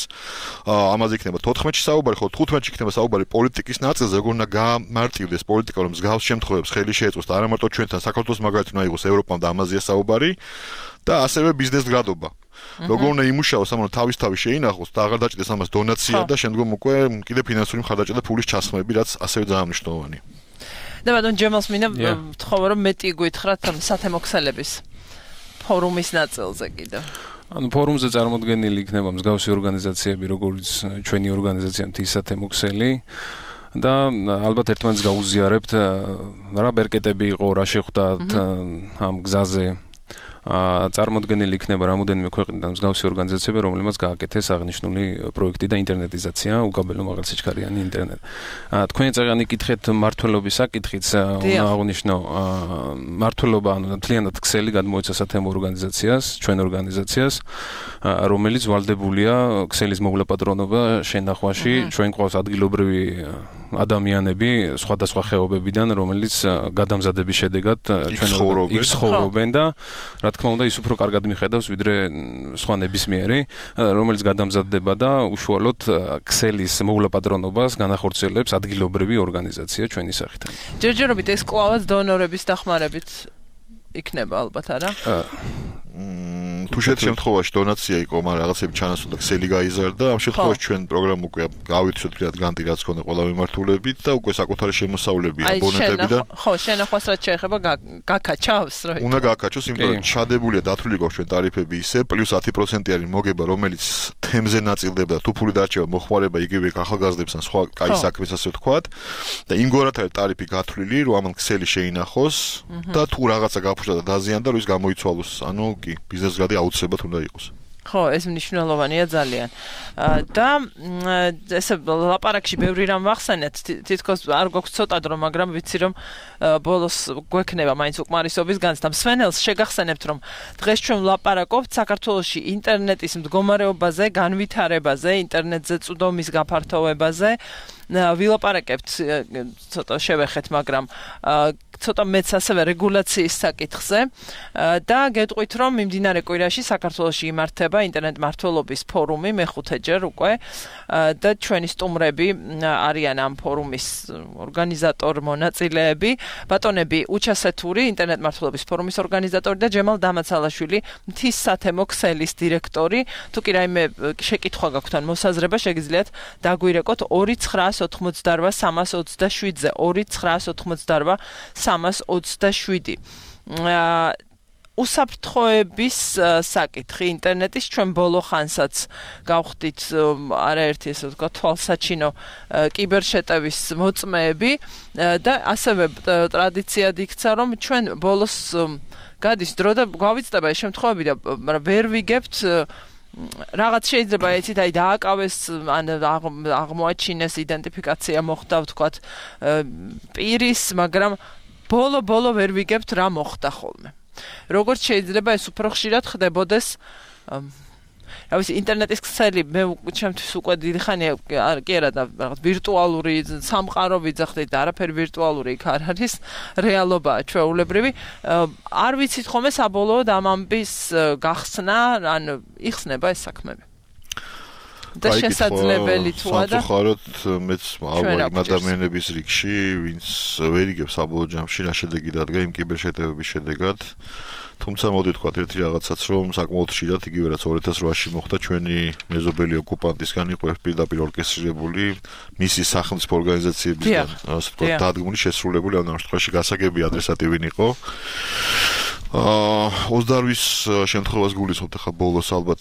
ამაზე იქნება თოთხმეტში საუბარი, ხო თხუთმეტში იქნება საუბარი პოლიტიკის ნაწილზე, როგორ უნდა გამარტივდეს პოლიტიკა, რომ მსგავს შემთხვევებს ხელი შეეწყოს და არა მარტო ჩვენთან, საქართველოს მაგალითად უნდა იყოს ევროპამ და ამაზეა საუბარი და ასევე ბიზნეს გრადობა. როგორ უნდა იმუშაოს, ამან თავის-თავი შეინახოს და აღარ დაჭდეს ამას დონაცია და შემდგომ უკვე კიდე ფინანსური მხარდაჭერა და ფულის ჩასხმები, რაც ასევე ძალიან მნიშვნელოვანია. და ბატონ ჯემალს მინდა ვთხოვო რომ მეტი გითხრათ სათემო ქსელების ფორუმის ნაწილზე კიდე. ანუ ფორუმზე წარმოდგენილი იქნება მსგავსი ორგანიზაციები, როგორც ჩვენი ორგანიზაცია მთის სათემო ქსელი და ალბათ ერთმანეთს გაუზიარებთ რა ბერკეტები იყო, რა შეხვდათ ამ გზაზე. წარმოდგენილი იქნება რამოდენიმე ქვეყნიდან მსგავსი ორგანიზაციები, რომლებმაც გააკეთეს აღნიშნული პროექტი და ინტერნეტიზაცია, უკაბელო მაღალსიჩქარიანი ინტერნეტი. თქვენი წაღანი კითხეთ მართლობის საკითხიც, უნდა აღვნიშნო, მართლობა ანუ მთლიანად ქსელი გადმოეცა სათემო ორგანიზაციას, ჩვენ ორგანიზაციას, რომელიც ვალდებულია ქსელის მოვლა-პატრონობა შენახვაში, ჩვენ ყავს ადგილობრივი ადამიანები სხვადასხვა ხეობებიდან, რომელიც გადამზადების შედეგად ჩვენ ცხოვრობენ და რა თქმა უნდა ის უფრო კარგად მიხედავს ვიდრე სხვა ნებისმიერი, რომელიც გადამზადდება და უშუალოდ ქსელის მოვლა-პატრონობას განახორციელებს ადგილობრივი ორგანიზაცია ჩვენი სახით. ჯერჯერობით ეს კლავაც დონორების დახმარებით იქნება ალბათ არა? თუშეთის შემთხვევაში დონაცია იყო, მაგრამ რაღაცები ჩანასწორდა ქსელი გაიზარდა. ამ შემთხვევაში ჩვენ პროგრამა უკვე გავიცოთ ფრიად განტი რაც ქონდა ყველა მიმართულებით და უკვე საკუთარი შემოსავლები აბონენტებიდან. ხო, შენახვას რაც შეეხება გაკაჩავს, რა. უნდა გაკაჩოს, იმიტომ რომ ჩადებულია დათვლილი გვაქვს ჩვენ ტარიფები ისე, პლუს ათი პროცენტი არის მოგება, რომელიც თემზე ნაწილდება და თუ ფული დარჩება, მოხმარება იგივე ახალგაზრდებს ან სხვა კაი საქმეს ასე ვთქვათ. და იმგვარად არის ტარიფი გათვლილი, რომ ამან ქსელი შეინახოს და თუ რაღაცა გაფუშდა და დაზიანდა, რომ ის გამოიცვალოს. ანუ კი, ბიზნეს გადი აუცილებლად უნდა იყოს. ხო, ეს მნიშვნელოვანია ძალიან. და ესე ლაპარაკში ბევრი რამ ვახსენეთ, თითქოს არ გვაქვს ცოტა დრო, მაგრამ ვიცი რომ ბოლოს გვექნება მაინც უკმარისობის განს და მსვენელს შეგახსენებთ რომ დღეს ჩვენ ვლაპარაკობთ საქართველოში ინტერნეტის მდგომარეობაზე, განვითარებაზე, ინტერნეტზე წვდომის გაფართოვებაზე. ვილაპარაკებთ ცოტა შევეხეთ, მაგრამ ცოტა მეც ასევე რეგულაციის საკითხზე და გეტყვით რომ მიმდინარე კვირაში საქართველოში იმართება ინტერნეტ მართლობის ფორუმი მეხუთეჯერ უკვე და ჩვენი სტუმრები არიან ამ ფორუმის ორგანიზატორ მონაწილეები, ბატონები უჩასეთური ინტერნეტ მართლობის ფორუმის ორგანიზატორი და ჯემალ დამაცალაშვილი მთის სათემო ქსელის დირექტორი. თუ კი რაიმე შეკითხვა გაქვთ ან მოსაზრება შეგიძლიათ დაგვირეკოთ ორი ცხრაას ოთხმოცდარვა სამას ოცდაშვიდზე ორი ცხრაას ოთხმოცდარვა სამას ოცდაშვიდი. უსაფრთხოების საკითხი ინტერნეტის ჩვენ ბოლო ხანსაც გავხდით არაერთი ესე ვთქვა თვალსაჩინო კიბერშეტევის მოწმეები და ასევე ტრადიციად იქცა რომ ჩვენ ბოლოს გადის დრო და გავიცდება ეს შემთხვევები და ვერ ვიგებთ რაღაც შეიძლება იცით აი დააკავეს ან აღმოაჩინეს იდენტიფიკაცია მოხდა ვთქვათ პირის, მაგრამ ბოლო-ბოლო ვერ ვიგებთ რა მოხდა ხოლმე. როგორც შეიძლება ეს უფრო ხშირად ხდებოდეს რა ვიცი ინტერნეტის ქსელი მე ჩემთვის უკვე დიდი ხანია კი არა და რაღაც ვირტუალური სამყარო ვიძახდით და არაფერი ვირტუალური იქ არ არის რეალობაა ჩვეულებრივი არ ვიცით ხოლმე საბოლოოდ ამ ამბის გახსნა ან იხსნება ეს საქმეები და შესაძლებელი თუა და სამწუხაროდ მეც ავარ იმ ადამიანების რიგში ვინც ვერ იგებს საბოლოო ჯამში რა შედეგი დადგა იმ კიბერშეტევების შედეგად თუმცა მოდი თქვა ერთი რაღაცაც რომ საკმაოდ ხშირად იგივე რაც ორი ათას რვაში მოხდა ჩვენი მეზობელი ოკუპანტისგან იყო პირდაპირ ორკესტრირებული მისი სახელმწიფო ორგანიზაციებისგან ასე ვთქვათ დადგმული შესრულებული ამ შემთხვევაში გასაგები ადრესატი ვინ იყო აა ოცდაორი შემთხვევას გულისხმობთ ახლა ბოლოს ალბათ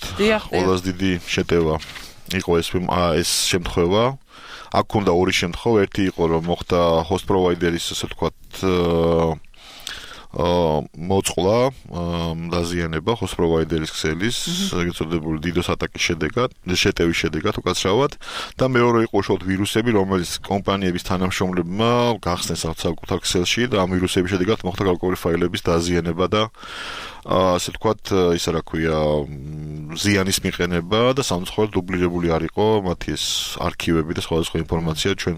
ყველაზე დიდი შეტევა იყო ეს ეს შემთხვევა აქ უნდა ორი შემთხვევა ერთი იყო რომ მოხდა host provider-ის ასე ვთქვათ აა მოწყლა დაზიანება host provider-ის ქსელის ეგრეთ წოდებული DDoS ატაკის შედეგად შეტევის შედეგად უკაცრავად და მეორე იყო უშუალოდ ვირუსები რომელიც კომპანიების თანამშრომლებმა გახსნეს საკუთარ ქსელში და ამ ვირუსების შედეგად მოხდა გარკვეული ფაილების დაზიანება და ასე ვთქვათ ისა რა ქვია ზიანის მიყენება და სამწუხაროდ დუბლირებული არ იყო მათი ეს არქივები და სხვადასხვა ინფორმაცია ჩვენ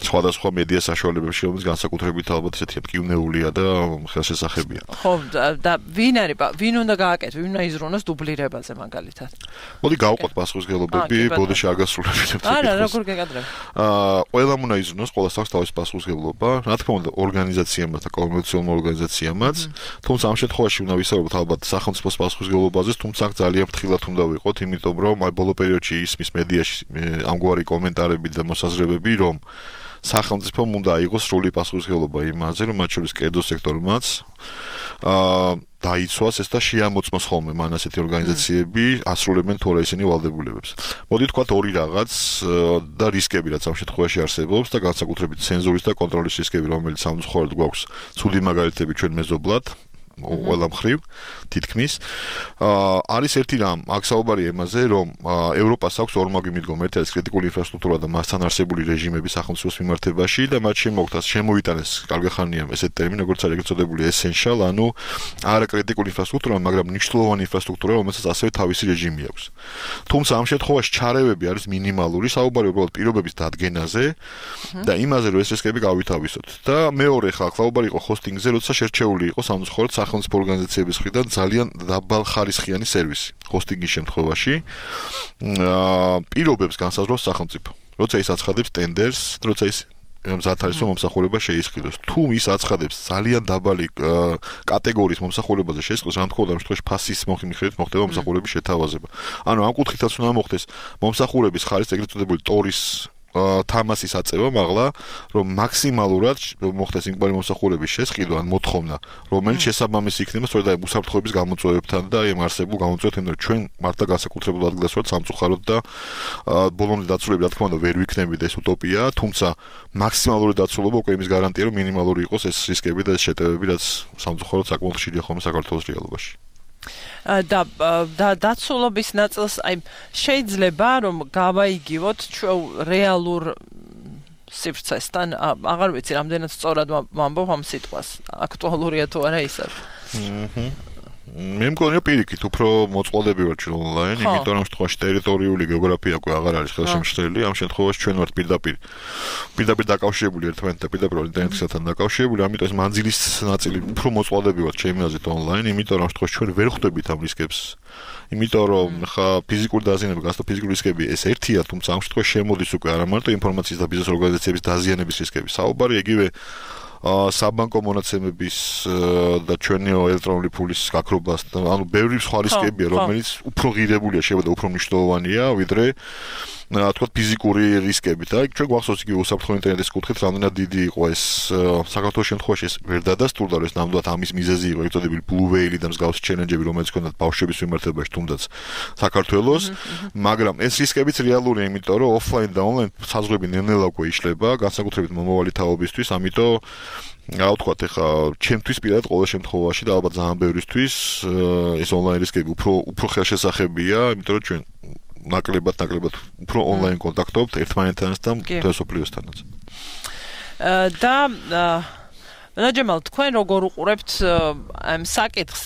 სხვადასხვა მედია საშუალებებში რომელიც განსაკუთრებით ალბათ ესეთი მკივნეულია და ხელშესახებია. ხო და ვინ არის ვინ უნდა გააკეთოს ვინ უნდა იზრუნოს დუბლირებაზე მაგალითად. მოდი გავყოთ პასუხისმგებლობები ბოდიში არ გასრულებინებთ. არა როგორ გეკადრებ. აა ყველამ უნდა იზრუნოს ყველას აქვს თავისი პასუხისმგებლობა რა თქმა უნდა ორგანიზაციამაც და კომერციულ ორგანიზაციამაც თუმცა ამ შემთხვევაში უნდა ვისაუბროთ ალბათ სახელმწიფოს პასუხისმგებლობაზე, თუმცა ძალიან ფრთხილად უნდა ვიყოთ, იმიტომ რომ აი ბოლო პერიოდში ისმის მედიაში ამგვარი კომენტარები და მოსაზრებები, რომ სახელმწიფომ უნდა აიღოს სრული პასუხისმგებლობა იმაზე, რომ მათ შორის კერძო სექტორმაც აა დაიცვას ეს და შეამოწმოს ხოლმე მან ასეთი ორგანიზაციები ასრულებენ თუ არა ისინი ვალდებულებებს. მოდი თქვათ ორი რაღაც და რისკები რაც ამ შემთხვევაში არსებობს და განსაკუთრებით ცენზურის და კონტროლის რისკები, რომელიც სამწუხაროდ გვაქვს ცუდი მაგალითები ჩვენ მეზობლად. ყველა მხრივ თითქმის აა არის ერთი რამ აქ საუბარია იმაზე რომ ევროპას აქვს ორმაგი მიდგომა ერთი არის კრიტიკული ინფრასტრუქტურა და მასთან არსებული რეჟიმები სახელმწიფოს მიმართებაში და მათ შემოგთას შემოიტანეს კარგი ხანია ესეთი ტერმინი როგორც არის ეგრეთ წოდებული essential ანუ არა კრიტიკული ინფრასტრუქტურა მაგრამ მნიშვნელოვანი ინფრასტრუქტურა რომელსაც ასევე თავისი რეჟიმი აქვს თუმცა ამ შემთხვევაში ჩარევები არის მინიმალური საუბარია უბრალოდ პირობების დადგენაზე და იმაზე რომ ეს რისკები გავითავისოთ და მეორე ხალ საუბარი იყო ჰოსტინგზე როცა შერჩეული იყო სამწუხაროდ სახელმწიფო ორგანიზაციების მხრიდან ძალიან დაბალხარისხიანი სერვისი ჰოსტინგის შემთხვევაში აა პირობებს განსაზღვრავს სახელმწიფო როცა ის აცხადებს ტენდერს როცა ის მზად არის რომ მომსახურება შეისყიდოს თუ ის აცხადებს ძალიან დაბალი კატეგორიის მომსახურებაზე შეისყიდოს ამ თქო და შემთხვევაში ფასის მიხედვით მოხდება მომსახურების შეთავაზება ანუ ამ კუთხითაც უნდა მოხდეს მომსახურების ხარისხი ეგრეთ წოდებული ტორის თამასის აწევა მაღლა რომ მაქსიმალურად მოხდეს იმგვარი მომსახურების შესყიდვა ან მოთხოვნა რომელიც შესაბამისი იქნება სწორედ აი უსაფრთხოების გამოწვევებთან და იმ არსებულ გამოწვევებთან რომ ჩვენ მართლა განსაკუთრებულ ადგილას ვართ სამწუხაროდ და ბოლომდე დაცულები რა თქმა უნდა ვერ ვიქნებით ეს უტოპია თუმცა მაქსიმალური დაცულობა უკვე იმის გარანტია რომ მინიმალური იყოს ეს რისკები და ეს შეტევები რაც სამწუხაროდ საკმაოდ ხშირია ხოლმე საქართველოს რეალობაში და და დაცულობის ნაწილს აი შეიძლება რომ გავაიგივოთ ჩვენ რეალურ სივრცესთან აღარ ვიცი რამდენად სწორად ვამბობ ამ სიტყვას აქტუალურია თუ არა ისა მე მგონია პირიქით უფრო მოწყვლადები ვარ ჩვენ ონლაინ იმიტომ რომ შემთხვევაში ტერიტორიული გეოგრაფია უკვე აღარ არის ხელშემშლელი ამ შემთხვევაში ჩვენ ვართ პირდაპირ პირდაპირ დაკავშირებული ერთმანეთთან პირდაპირ ინტერნეტთან დაკავშირებული ამიტომ ეს მანძილის ნაწილი უფრო მოწყვლადები ვართ ჩემი აზრით ონლაინ იმიტომ რომ შემთხვევაში ჩვენ ვერ ხვდებით ამ რისკებს იმიტომ რომ ხა ფიზიკური დაზიანება გასტო ფიზიკური რისკები ეს ერთია თუმცა ამ შემთხვევაში შემოდის უკვე არა მარტო ინფორმაციის და ბიზნეს ორგანიზაციების დაზიანების რისკები საუბარი იგივე საბანკო მონაცემების და ჩვენი ელექტრონული ფულის გაქრობას ანუ ბევრი სხვა რისკებია რომელიც უფრო ღირებულია შეიძლება და უფრო მნიშვნელოვანია ვიდრე თქვა ფიზიკური რისკები და ჩვენ გვახსოვს იგი უსაფრთხო ინტერნეტის კუთხით რამდენად დიდი იყო ეს საქართველოს შემთხვევაში ეს ვერ დადასტურდა რომ ეს ნამდვილად ამის მიზეზი იყო ეგ წოდებული blue whale და მსგავსი ჩელენჯები რომელიც ჰქონდათ ბავშვების მიმართებაში თუნდაც საქართველოს მაგრამ ეს რისკებიც რეალურია იმიტომ რომ offline და online საზღვრები ნელ-ნელა უკვე იშლება განსაკუთრებით მომავალი თაობისთვის ამიტომ რა ვთქვათ ახლა ჩემთვის პირადად ყოველ შემთხვევაში და ალბათ ძალიან ბევრისთვის ეს online რისკები უფრო უფრო ხელშესახებია იმიტომ რომ ჩვენ ნაკლებად ნაკლებად უფრო ონლაინ კონტაქტობთ ერთმანეთთან და თესოპლიოსთანაც. და ნაჯემალ თქვენ როგორ უყურებთ ამ საკითხს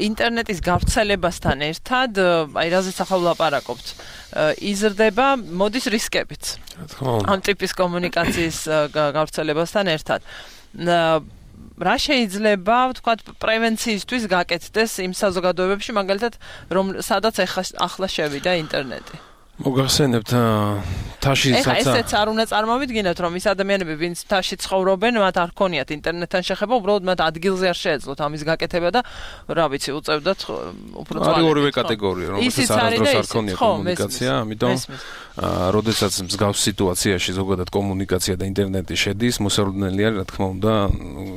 ინტერნეტის გავრცელებასთან ერთად, აი რაზეც ახლა ვლაპარაკობთ, იზრდება მოდის რისკებიც. ამ ტიპის კომუნიკაციის გავრცელებასთან ერთად. რა შეიძლება ვთქვათ პრევენციისთვის გაკეთდეს იმ საზოგადოებებში მაგალითად რომ სადაც ახლა შევიდა ინტერნეტი მოგახსენებთ თაში ეხა ესეც არ უნდა წარმოვიდგინოთ, რომ ის ადამიანები, ვინც თაში ცხოვრობენ, მათ არ ქონიათ ინტერნეტთან შეხება, უბრალოდ მათ ადგილზე არ შეეძლოთ ამის გაკეთება და რა ვიცი, უწევდათ უფრო წვალებით. არის ორივე კატეგორია, რომელსაც არასდროს არ ქონია კომუნიკაცია, ამიტომ როდესაც მსგავს სიტუაციაში ზოგადად კომუნიკაცია და ინტერნეტი შედის, მოსალოდნელი არის, რა თქმა უნდა,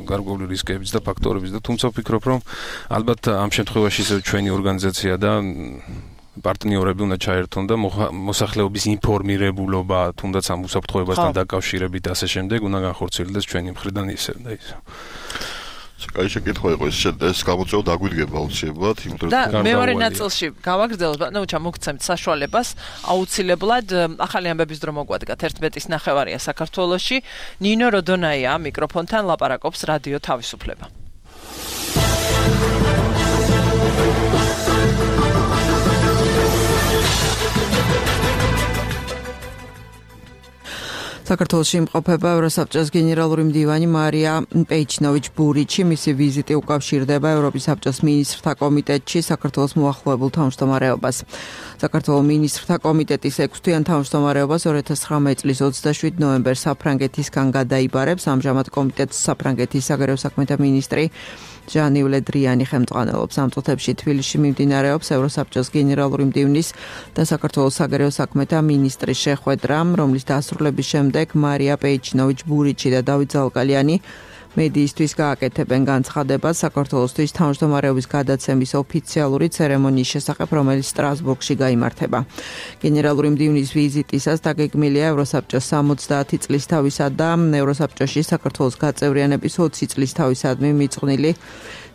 გარკვეული რისკებიც და ფაქტორებიც და თუმცა ვფიქრობ, რომ ალბათ ამ შემთხვევაში ისევ ჩვენი ორგანიზაცია და პარტნიორები უნდა ჩაერთონ და მოსახლეობის ინფორმირებულობა, თუნდაც ამ უსაფრთხოებასთან დაკავშირებით და ასე შემდეგ უნდა განხორციელდეს ჩვენი მხრიდან ისევ და ისე. კაი შეკითხვა იყო ეს ეს გამოწვევა დაგვიდგება აუცილებლად, იმიტომ რომ მეორე ნაწილში გავაგრძელოთ, ნუ ჩამოგცემთ საშუალებას, აუცილებლად ახალი ამბების დრო მოგვადგათ ერთმეტის ნახევარია საქართველოში. ნინო როდონაია მიკროფონთან ლაპარაკობს რადიო თავისუფლება. საქართველოში იმყოფება ევროსაბჭოს გენერალური მდივანი მარია პეიჩნოვიჩ-ბურიჩი. მისი ვიზიტი უკავშირდება ევროპის საბჭოს მინისტრთა კომიტეტში საქართველოს მოახლოებულ თავმჯდომარეობას. საქართველოს მინისტრთა კომიტეტის ექვსთვიან თავმჯდომარეობას ორი ათას ცხრამეტი წლის ოცდაშვიდ ნოემბერს საფრანგეთისგან გადაიბარებს. ამჟამად კომიტეტს საფრანგეთის საგარეო საქმეთა მინისტრი ჟან-იվ ლე დრიანი ხელმძღვანელობს. ამ წუთებში თბილისში მიმდინარეობს ევროსაბჭოს გენერალური მდივნის და საქართველოს საგარეო საქმეთა მინისტრის შეხვედრა, რომლის დასრულების შემდეგ მარია პეიჩნოვიჩ-ბურიჩი და დავით ზალკალიანი მედიისთვის გააკეთებენ განცხადებას საქართველოსთვის თავმჯდომარეობის გადაცემის ოფიციალური ცერემონიის შესახებ, რომელიც სტრასბურგში გაიმართება. გენერალური მდივნის ვიზიტისას დაგეგმილია ევროსაბჭოს სამოცდაათი წლის თავისა და ევროსაბჭოში საქართველოს გაწევრიანების ოცი წლის თავისადმი მიწყვნილი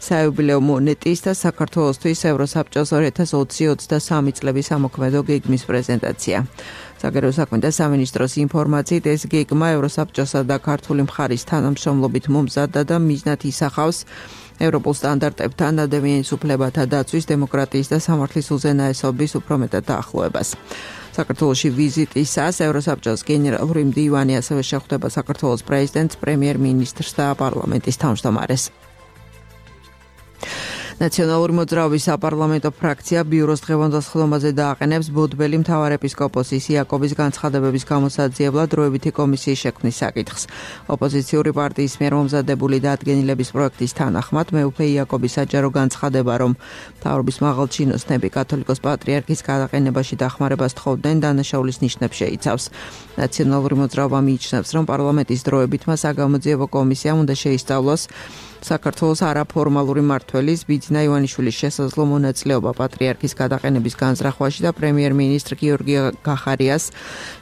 საიუბილეო მონეტის და საქართველოსთვის ევროსაბჭოს ორი ათას ოცი ოცდასამი წლების ამოქმედო გეგმის პრეზენტაცია. საგარეო საქმეთა სამინისტროს ინფორმაციით ეს გეგმა ევროსაბჭოსა და ქართული მხარის თანამშრომლობით მომზადდა და მიზნად ისახავს ევროპულ სტანდარტებთან ადამიანის უფლებათა დაცვის, დემოკრატიის და სამართლის უზენაესობის უფრო მეტად დაახლოებას. საქართველოში ვიზიტისას ევროსაბჭოს გენერალური მდივანი ასევე შეხვდება საქართველოს პრეზიდენტს, პრემიერ-მინისტრს და პარლამენტის თავმჯდომარეს. ნაციონალური მოძრაობის საპარლამენტო ფრაქცია ბიუროს დღევანდელ სხდომაზე დააყენებს ბოდბელი მთავარეპისკოპოსის იაკობის განცხადებების გამოსაძიებლად დროებითი კომისიის შექმნის საკითხს. ოპოზიციური პარტიის მიერ მომზადებული დადგენილების პროექტის თანახმად მეუფე იაკობის საჯარო განცხადება, რომ მთავრობის მაღალჩინოსნები კათოლიკოს პატრიარქის გადაყენებაში დახმარებას თხოვდნენ, დანაშაულის ნიშნებს შეიცავს. ნაციონალური მოძრაობა მიიჩნევს, რომ პარლამენტის დროებით მას საგამოძიებო კომისიამ უნდა შეისწავლოს საქართველოს არაფორმალური მმართველის ბიძინა ივანიშვილის შესაძლო მონაწილეობა პატრიარქის გადაყენების განზრახვაში და პრემიერ-მინისტრ გიორგი გახარიას,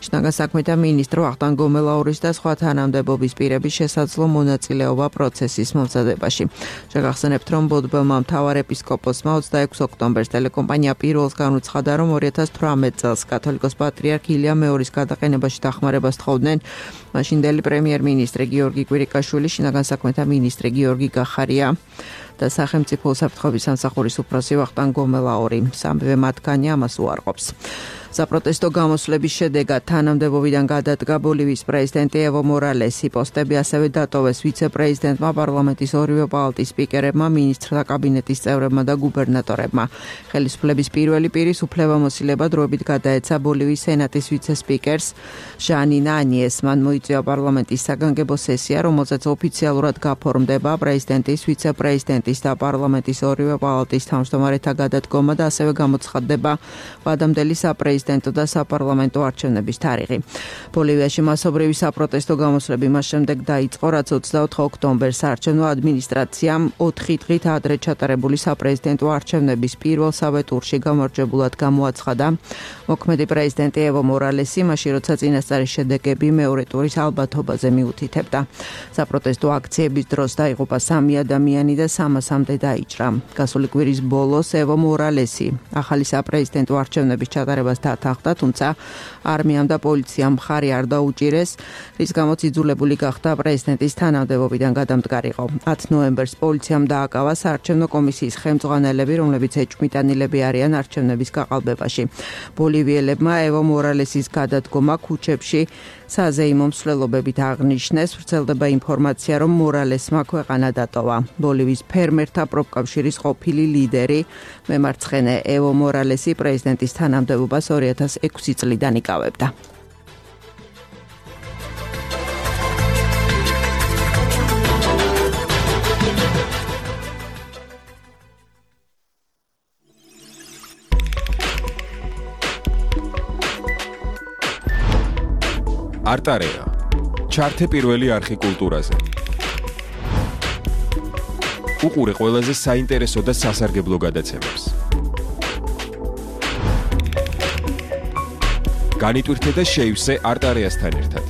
შინაგან საქმეთა მინისტრ ვახტანგ გომელაურის და სხვა თანამდებობის პირების შესაძლო მონაწილეობა პროცესის მომზადებაში. შეგახსენებთ, რომ ბოდბელმა მთავარეპისკოპოსმა ოცდაექვსი ოქტომბერს ტელეკომპანია პირველს განუცხადა, რომ ორი ათას თვრამეტ წელს კათოლიკოს პატრიარქ ილია მეორის გადაყენებაში დახმარებას თხოვდნენ მაშინდელი პრემიერ-მინისტრი გიორგი კვირიკაშვილი, შინაგან საქმეთა მინისტრი გიორგი გახარია და სახელმწიფო უსაფრთხოების სამსახურის უფროსი ვახტანგ გომელაური. სამივე მათგანი ამას უარყოფს. საპროტესტო გამოსვლების შედეგად თანამდებობიდან გადადგა ბოლივიის პრეზიდენტი ევო მორალესი. პოსტები ასევე დატოვეს ვიცე-პრეზიდენტმა, პარლამენტის ორივე პალატის სპიკერებმა, მინისტრთა კაბინეტის წევრებმა და გუბერნატორებმა. ხელისუფლების პირველი პირის უფლებამოსილება დროებით გადაეცა ბოლივიის სენატის ვიცე-სპიკერს ჟანინა ანიეს. მან მოიწვია პარლამენტის საგანგებო სესია, რომელზეც ოფიციალურად გაფორმდება პრეზიდენტის, ვიცე-პრეზიდენტის და პარლამენტის ორივე პალატის თავმჯდომარეთა გადადგომა და ასევე გამოცხადდება ვადამდელი საპრეზიდენტო და საპარლამენტო არჩევნების თარიღი. ბოლივიაში მასობრივი საპროტესტო გამოსვლები მას შემდეგ დაიწყო, რაც ოცდაოთხი ოქტომბერს საარჩევნო ადმინისტრაციამ ოთხი დღით ადრე ჩატარებული საპრეზიდენტო არჩევნების პირველ სავე ტურში გამარჯვებულად გამოაცხადა მოქმედი პრეზიდენტი ევო მორალესი, მაშინ როცა წინასწარი შედეგები მეორე ტურის ალბათობაზე მიუთითებდა. საპროტესტო აქციების დროს დაიღუპა სამი ადამიანი და სამასამდე დაიჭრა. გასული კვირის ბოლოს ევო მორალესი ახალი საპრეზიდენტო არჩევნების ჩატარებას დათანხმდა, თუმცა არმიამ და პოლიციამ მხარი არ დაუჭირეს, რის გამოც იძულებული გახდა პრეზიდენტის თანამდებობიდან გადამდგარიყო. ათი ნოემბერს პოლიციამ დააკავა საარჩევნო კომისიის ხელმძღვანელები, რომლებიც ეჭვმიტანილები არიან არჩევნების გაყალბებაში. ბოლივიელებმა ევო მორალესის გადადგომა ქუჩებში საზეიმო მსვლელობებით აღნიშნეს, ვრცელდება ინფორმაცია, რომ მორალესმა ქვეყანა დატოვა. ბოლივიის ფერმერთა პროფკავშირის ყოფილი ლიდერი, მემარცხენე ევო მორალესი პრეზიდენტის თანამდებობას ორი ათას ექვსი წლიდან იკავებდა. არტარეა. ჩართე პირველი არხი კულტურაზე. უყურე ყველაზე საინტერესო და სასარგებლო გადაცემებს. განიტვირთე და შეივსე არტარეასთან ერთად.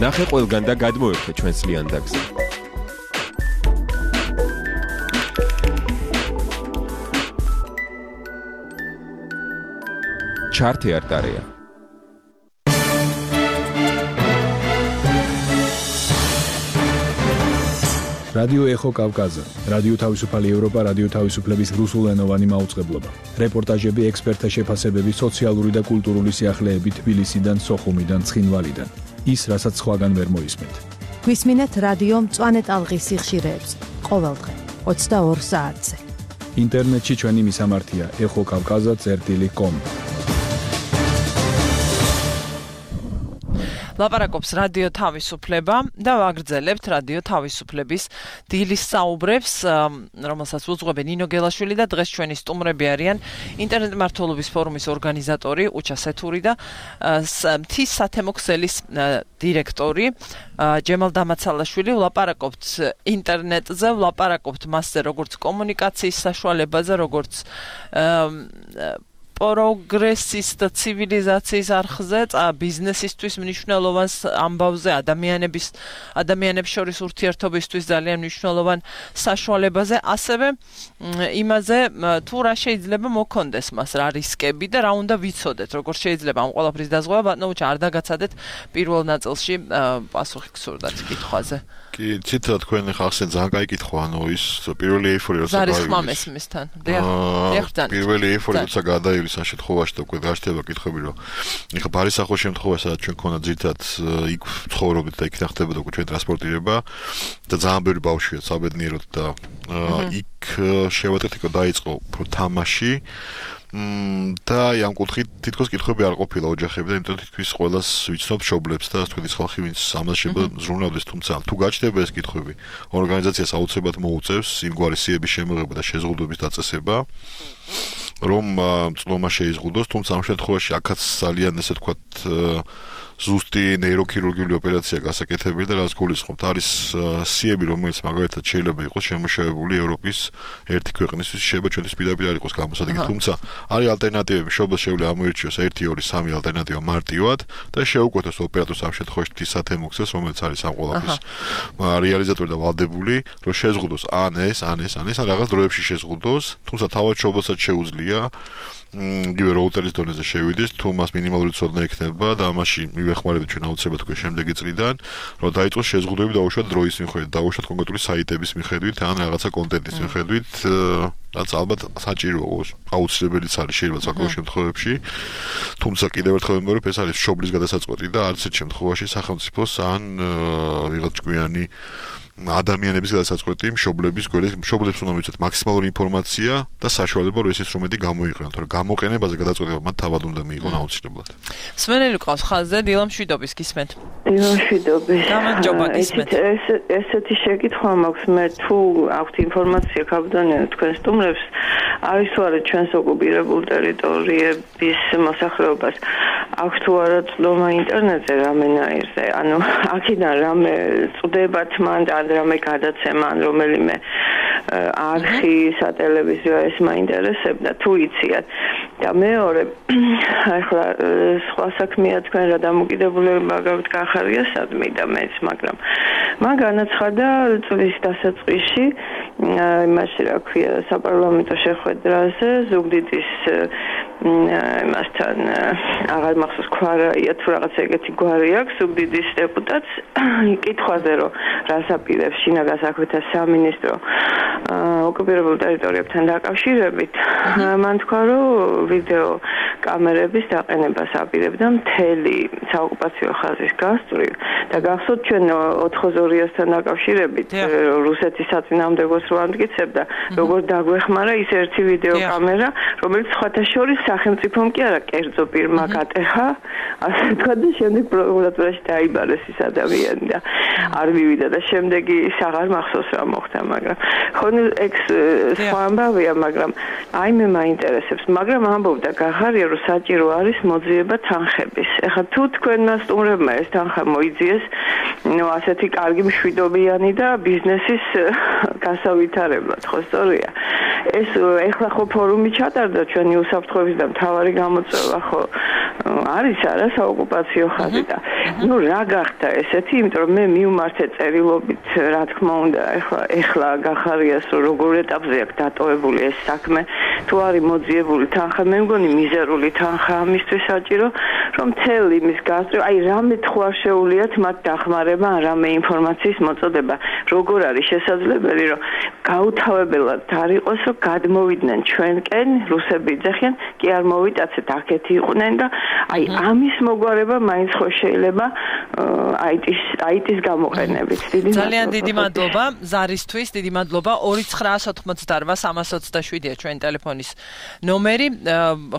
ნახე ყველგან და გადმოერთე ჩვენს ლიანდაგზე. ჩართე არტარეა. რადიო ეხო კავკაზა, რადიო თავისუფალი ევროპა, რადიო თავისუფლების რუსულენოვანი მაუწყებლობა. რეპორტაჟები, ექსპერტთა შეფასებები, სოციალური და კულტურული სიახლეები თბილისიდან, სოხუმიდან, ცხინვალიდან. ის, რასაც სხვაგან ვერ მოისმენთ. გვისმინეთ რადიო მწვანე ტალღის სიხშირეებს, ყოველდღე ოცდაორ საათზე. ინტერნეტში ჩვენი მისამართია ეხო კავკაზა წერტილი კომ. ლაპარაკობს რადიო თავისუფლება და ვაგრძელებთ რადიო თავისუფლების დილის საუბრებს, რომელსაც უძღვებენ ნინო გელაშვილი და დღეს ჩვენი სტუმრები არიან ინტერნეტ მართლობის ფორუმის ორგანიზატორი უჩა სეთური და მთის სათემო ქსელის დირექტორი ჯემალ დამაცალაშვილი. ვლაპარაკობთ ინტერნეტზე, ვლაპარაკობთ მასზე, როგორც კომუნიკაციის საშუალებაზე, როგორც პროგრესის და ცივილიზაციის არხზე, ბიზნესისთვის მნიშვნელოვან ამბავზე, ადამიანების ადამიანებს შორის ურთიერთობისთვის ძალიან მნიშვნელოვან საშუალებაზე, ასევე იმაზე, თუ რა შეიძლება მოქონდეს მას, რა რისკები და რა უნდა ვიცოდეთ, როგორ შეიძლება ამ ყველაფრის დაზღვევა. ბატონო უჩა, არ დაგაცადეთ პირველ ნაწილში პასუხი გსურდათ კითხვაზე. კი, ციტა თქვენ ხახსენ ძალიან კაი კითხვა, ანუ ის პირველი ეიფორია როცა გაივლის. ზარის ხმამესმისთან. დიახ, დიახ, პირველი ეიფორია როცა გადაივლის ამ შემთხვევაში და უკვე გაშთება კითხვები, რომ ეხა ბარისახოს შემთხვევა, სადაც ჩვენ ქონა ძირთად იქ ცხოვრობდით და იქ ნახდებოდა უკვე ჩვენ ტრანსპორტირება და ძალიან ბევრი ბავშვია საბედნიეროდ და იქ შევატეთ, იქ დაიწყო უფრო თამაში. და ამ კუთხით თითქოს კითხვები არ ყოფილა ოჯახები და იმიტომ თითქოს ყველას ვიცნობ მშობლებს და თქვენ ის ხალხი ვინც ამას შეიძლება ზრუნავდეს, თუმცა თუ გაჩნდება ეს კითხვები, ორგანიზაციას აუცილებლად მოუწევს იმგვარი სიების შემოღება და შეზღუდვების დაწესება, რომ წლომა შეიზღუდოს, თუმცა ამ შემთხვევაში აქაც ძალიან ესე ვთქვათ ზუსტი ნეიროქირურგიული ოპერაცია გასაკეთებელი და რაც გულისხმობთ, არის სიები, რომელიც მაგალითად შეიძლება იყოს შემოშევებული ევროპის ერთი ქვეყნისთვის, შეიძლება ჩვენთვის პირდაპირ არ იყოს გამოსადეგი, თუმცა არის ალტერნატივები, შობლს შეუძლია ამოირჩიოს ერთი, ორი, სამი ალტერნატივა მარტივად და შეუკვეთოს ოპერატორს ამ შემთხვევაში თის სათემო ქსელს, რომელიც არის ამ ყველაფრის რეალიზატორი და ვალდებული, რომ შეზღუდოს ან ეს, ან ეს, ან ეს, ან რაღაც დროებში შეზღუდოს, თუმცა თავად შობლსაც შეუძლია იგივე როუტერის დონეზე შევიდეს, თუ მას მინიმალური ცოდნა ექნება და ამაში მივეხმარებით ჩვენ აუცილებლად თქვენ შემდეგი წლიდან, რომ დაიწყოს შეზღუდვები დაუშვათ დროის მიხედვით, დაუშვათ კონკრეტული საიტების მიხედვით, ან რაღაცა კონტენტის მიხედვით, რაც ალბათ საჭიროა, აუცილებელიც არის შეიძლება საკუთარ შემთხვევებში. თუმცა კიდევ ერთხელ ვიმეორებ, ეს არის მშობლის გადასაწყვეტი და არც ერთ შემთხვევაში სახელმწიფოს ან ვიღაც ჭკვიანი ადამიანების გადასაწყვეტი მშობლების გვერდით მშობლებს უნდა მივიცეთ მაქსიმალური ინფორმაცია და საშუალება რომ ეს ინსტრუმენტი გამოიყენონ, თორემ გამოყენებაზე გადაწყვეტილება მათ თავად უნდა მიიღონ აუცილებლად. სმენელი ყავს ხაზზე დილამ შვიდობის გისმენთ. დილამ შვიდობის. გამარჯობა გისმენთ. ეს ესეთი შეკითხვა მაქვს მე, თუ აქვთ ინფორმაცია კაბდანია თქვენ სტუმრებს, არის თუ არა ჩვენს ოკუპირებულ ტერიტორიების მოსახლეობას აქვს თუ არა წლომა ინტერნეტზე რამენაირზე, ანუ აქედან რამე წვდებათ მან და რამე გადაცემა ან რომელიმე არხი სატელევიზიო ეს მაინტერესებდა თუ იციან. და მეორე, ახლა სხვა საქმეა თქვენ რა დამოკიდებულება გაქვთ კახარიასადმი და მეც, მაგრამ მან განაცხადა წლის დასაწყისში იმაში რა ქვია საპარლამენტო შეხვედრაზე ზუგდიდის იმასთან აღარ მახსოვს ქვარაია თუ რაღაც ეგეთი გვარი აქვს ზუგდიდის დეპუტატს კითხვაზე რომ რას აპირებს შინაგან საქმეთა სამინისტრო ოკუპირებულ ტერიტორიებთან დაკავშირებით მან თქვა რომ ვიდეო კამერების დაყენებას აპირებდა მთელი საოკუპაციო ხაზის გასწვრივ და გახსოვთ ჩვენ ოთხმოცდაორასთან დაკავშირებით რუსეთის საწინააღმდეგოს რო ამტკიცებდა როგორ დაგვეხმარა ის ერთი ვიდეო კამერა რომელიც სხვათა შორის სახელმწიფომ კი არა კერძო პირმა გატეხა ასე თქვა და შემდეგ პროკურატურაში დაიბარეს ის ადამიანი და არ მივიდა და შემდეგი ის აღარ მახსოვს რა მოხდა მაგრამ ხონ ექს სხვა ამბავია მაგრამ აი მე მაინტერესებს მაგრამ ამბობდა გახარია რომ საჭირო არის მოძიება თანხების ეხლა თუ თქვენმა სტუმრებმა ეს თანხა მოიძიეს ნუ ასეთი კარგი მშვიდობიანი და ბიზნესის გასავითარებლად ხო სწორია ეს ეხლა ხო ფორუმი ჩატარდა ჩვენი უსაფრთხოების და მთავარი გამოწვევა ხო არის არა საოკუპაციო ხაზი და ნუ რა გახდა ესეთი იმიტომ რომ მე მივმართე წერილობით რა თქმა უნდა ეხლა ეხლა გახარიას რომ როგორ ეტაპზე აქვს დატოვებული ეს საქმე თუ არის მოძიებული თანხა მე მგონი მიზერული თანხა ამისთვის საჭირო რომ მთელი იმის გასწვრივ აი რამე თუ არ შეუულიათ მათ დახმარება ან რამე ინფორმაციის მოწოდება როგორ არის შესაძლებელი რომ გაუთავებელად არ იყოს რომ გადმოვიდნენ ჩვენკენ რუსები იძახიან კი არ მოვიტაცეთ აქეთი იყვნენ და აი ამის მოგვარება მაინც ხო შეიძლება აიტის აიტის გამოყენებით დიდი ძალიან დიდი მადლობა ზარისთვის დიდი მადლობა ორი ცხრაას ოთხმოცდაოთხ სამას ოცდაშვიდია ჩვენი ტელეფონის ნომერი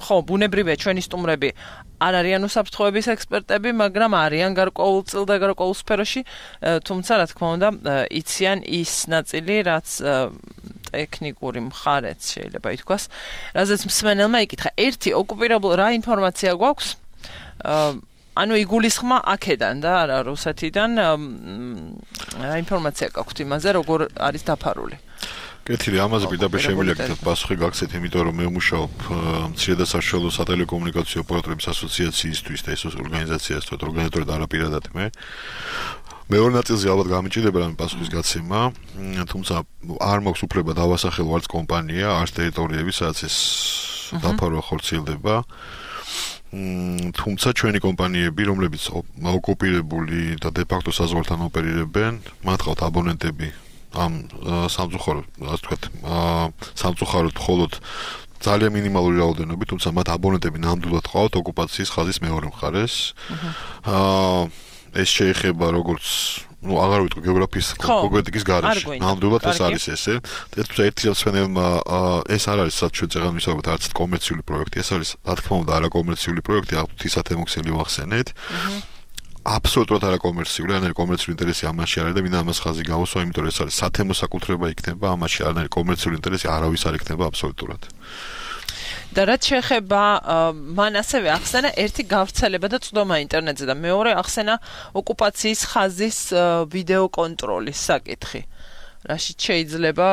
ხო ბუნებრივია ჩვენი სტუმრები არ არიან უსაფრთხოების ექსპერტები მაგრამ არიან გარკვეულწილ და გარკვეულ სფეროში თუმცა რა თქმა უნდა იციან ის ნაწილი რაც ტექნიკური მხარეც შეიძლება ითქვას რაზეც მსმენელმა იკითხა ერთი ოკუპირებულ რა ინფორმაცია გვაქვს ანუ იგულისხმა აქედან და არა რუსეთიდან რა ინფორმაცია გაქვთ იმაზე როგორ არის დაფარული კეთილი ამაზე პირდაპირ შემიძლია გითხრათ პასუხი გაგცეთ იმიტომ რომ მე ვმუშაობ მცირე და საშუალო სატელეკომუნიკაციო ოპერატორების ასოციაციისთვის და ეს ორგანიზაციასთან ორგანიზატორად არაპირადად მე მეორე ნაწილზე ალბათ გამიჭირდება რამე პასუხის გაცემა თუმცა არ მაქვს უფლება დავასახელო არც კომპანია არც ტერიტორიები სადაც ეს დაფარვა ხორციელდება თუმცა ჩვენი კომპანიები რომლებიც ოკუპირებული და დე ფაქტო საზღვართან ოპერირებენ მათ ყავთ აბონენტები ამ სამწუხაროდ ასე ვთქვათ სამწუხაროდ მხოლოდ ძალიან მინიმალური რაოდენობით თუმცა მათ აბონენტები ნამდვილად ყავთ ოკუპაციის ხაზის მეორე მხარეს აა ეს შეეხება როგორც ну აღარ ვიტყვი გეოგრაფიის კონკრეტიკის გარეშე ნამდვილად ეს არის ესე თუმცა ერთი მსმენელმა ეს არ არის სადაც ჩვენ წეგან ვისაუბრებთ არც კომერციული პროექტი ეს არის რა თქმა უნდა არაკომერციული პროექტი ღვთისათ ემოქსელი ვახსენეთ აბსოლუტურად არაკომერციული არანაირი კომერციული ინტერესი ამაში არ არის და მინდა ამას ხაზი გავუსვა იმიტომ რომ ეს არის სათემო საკუთრება იქნება ამაში არანაირი კომერციული ინტერესი არავის არ იქნება აბსოლუტურად და რაც შეეხება მან ასევე ახსენა ერთი გავრცელება და წვდომა ინტერნეტზე და მეორე ახსენა ოკუპაციის ხაზის ვიდეო კონტროლის საკითხი. რაშიც შეიძლება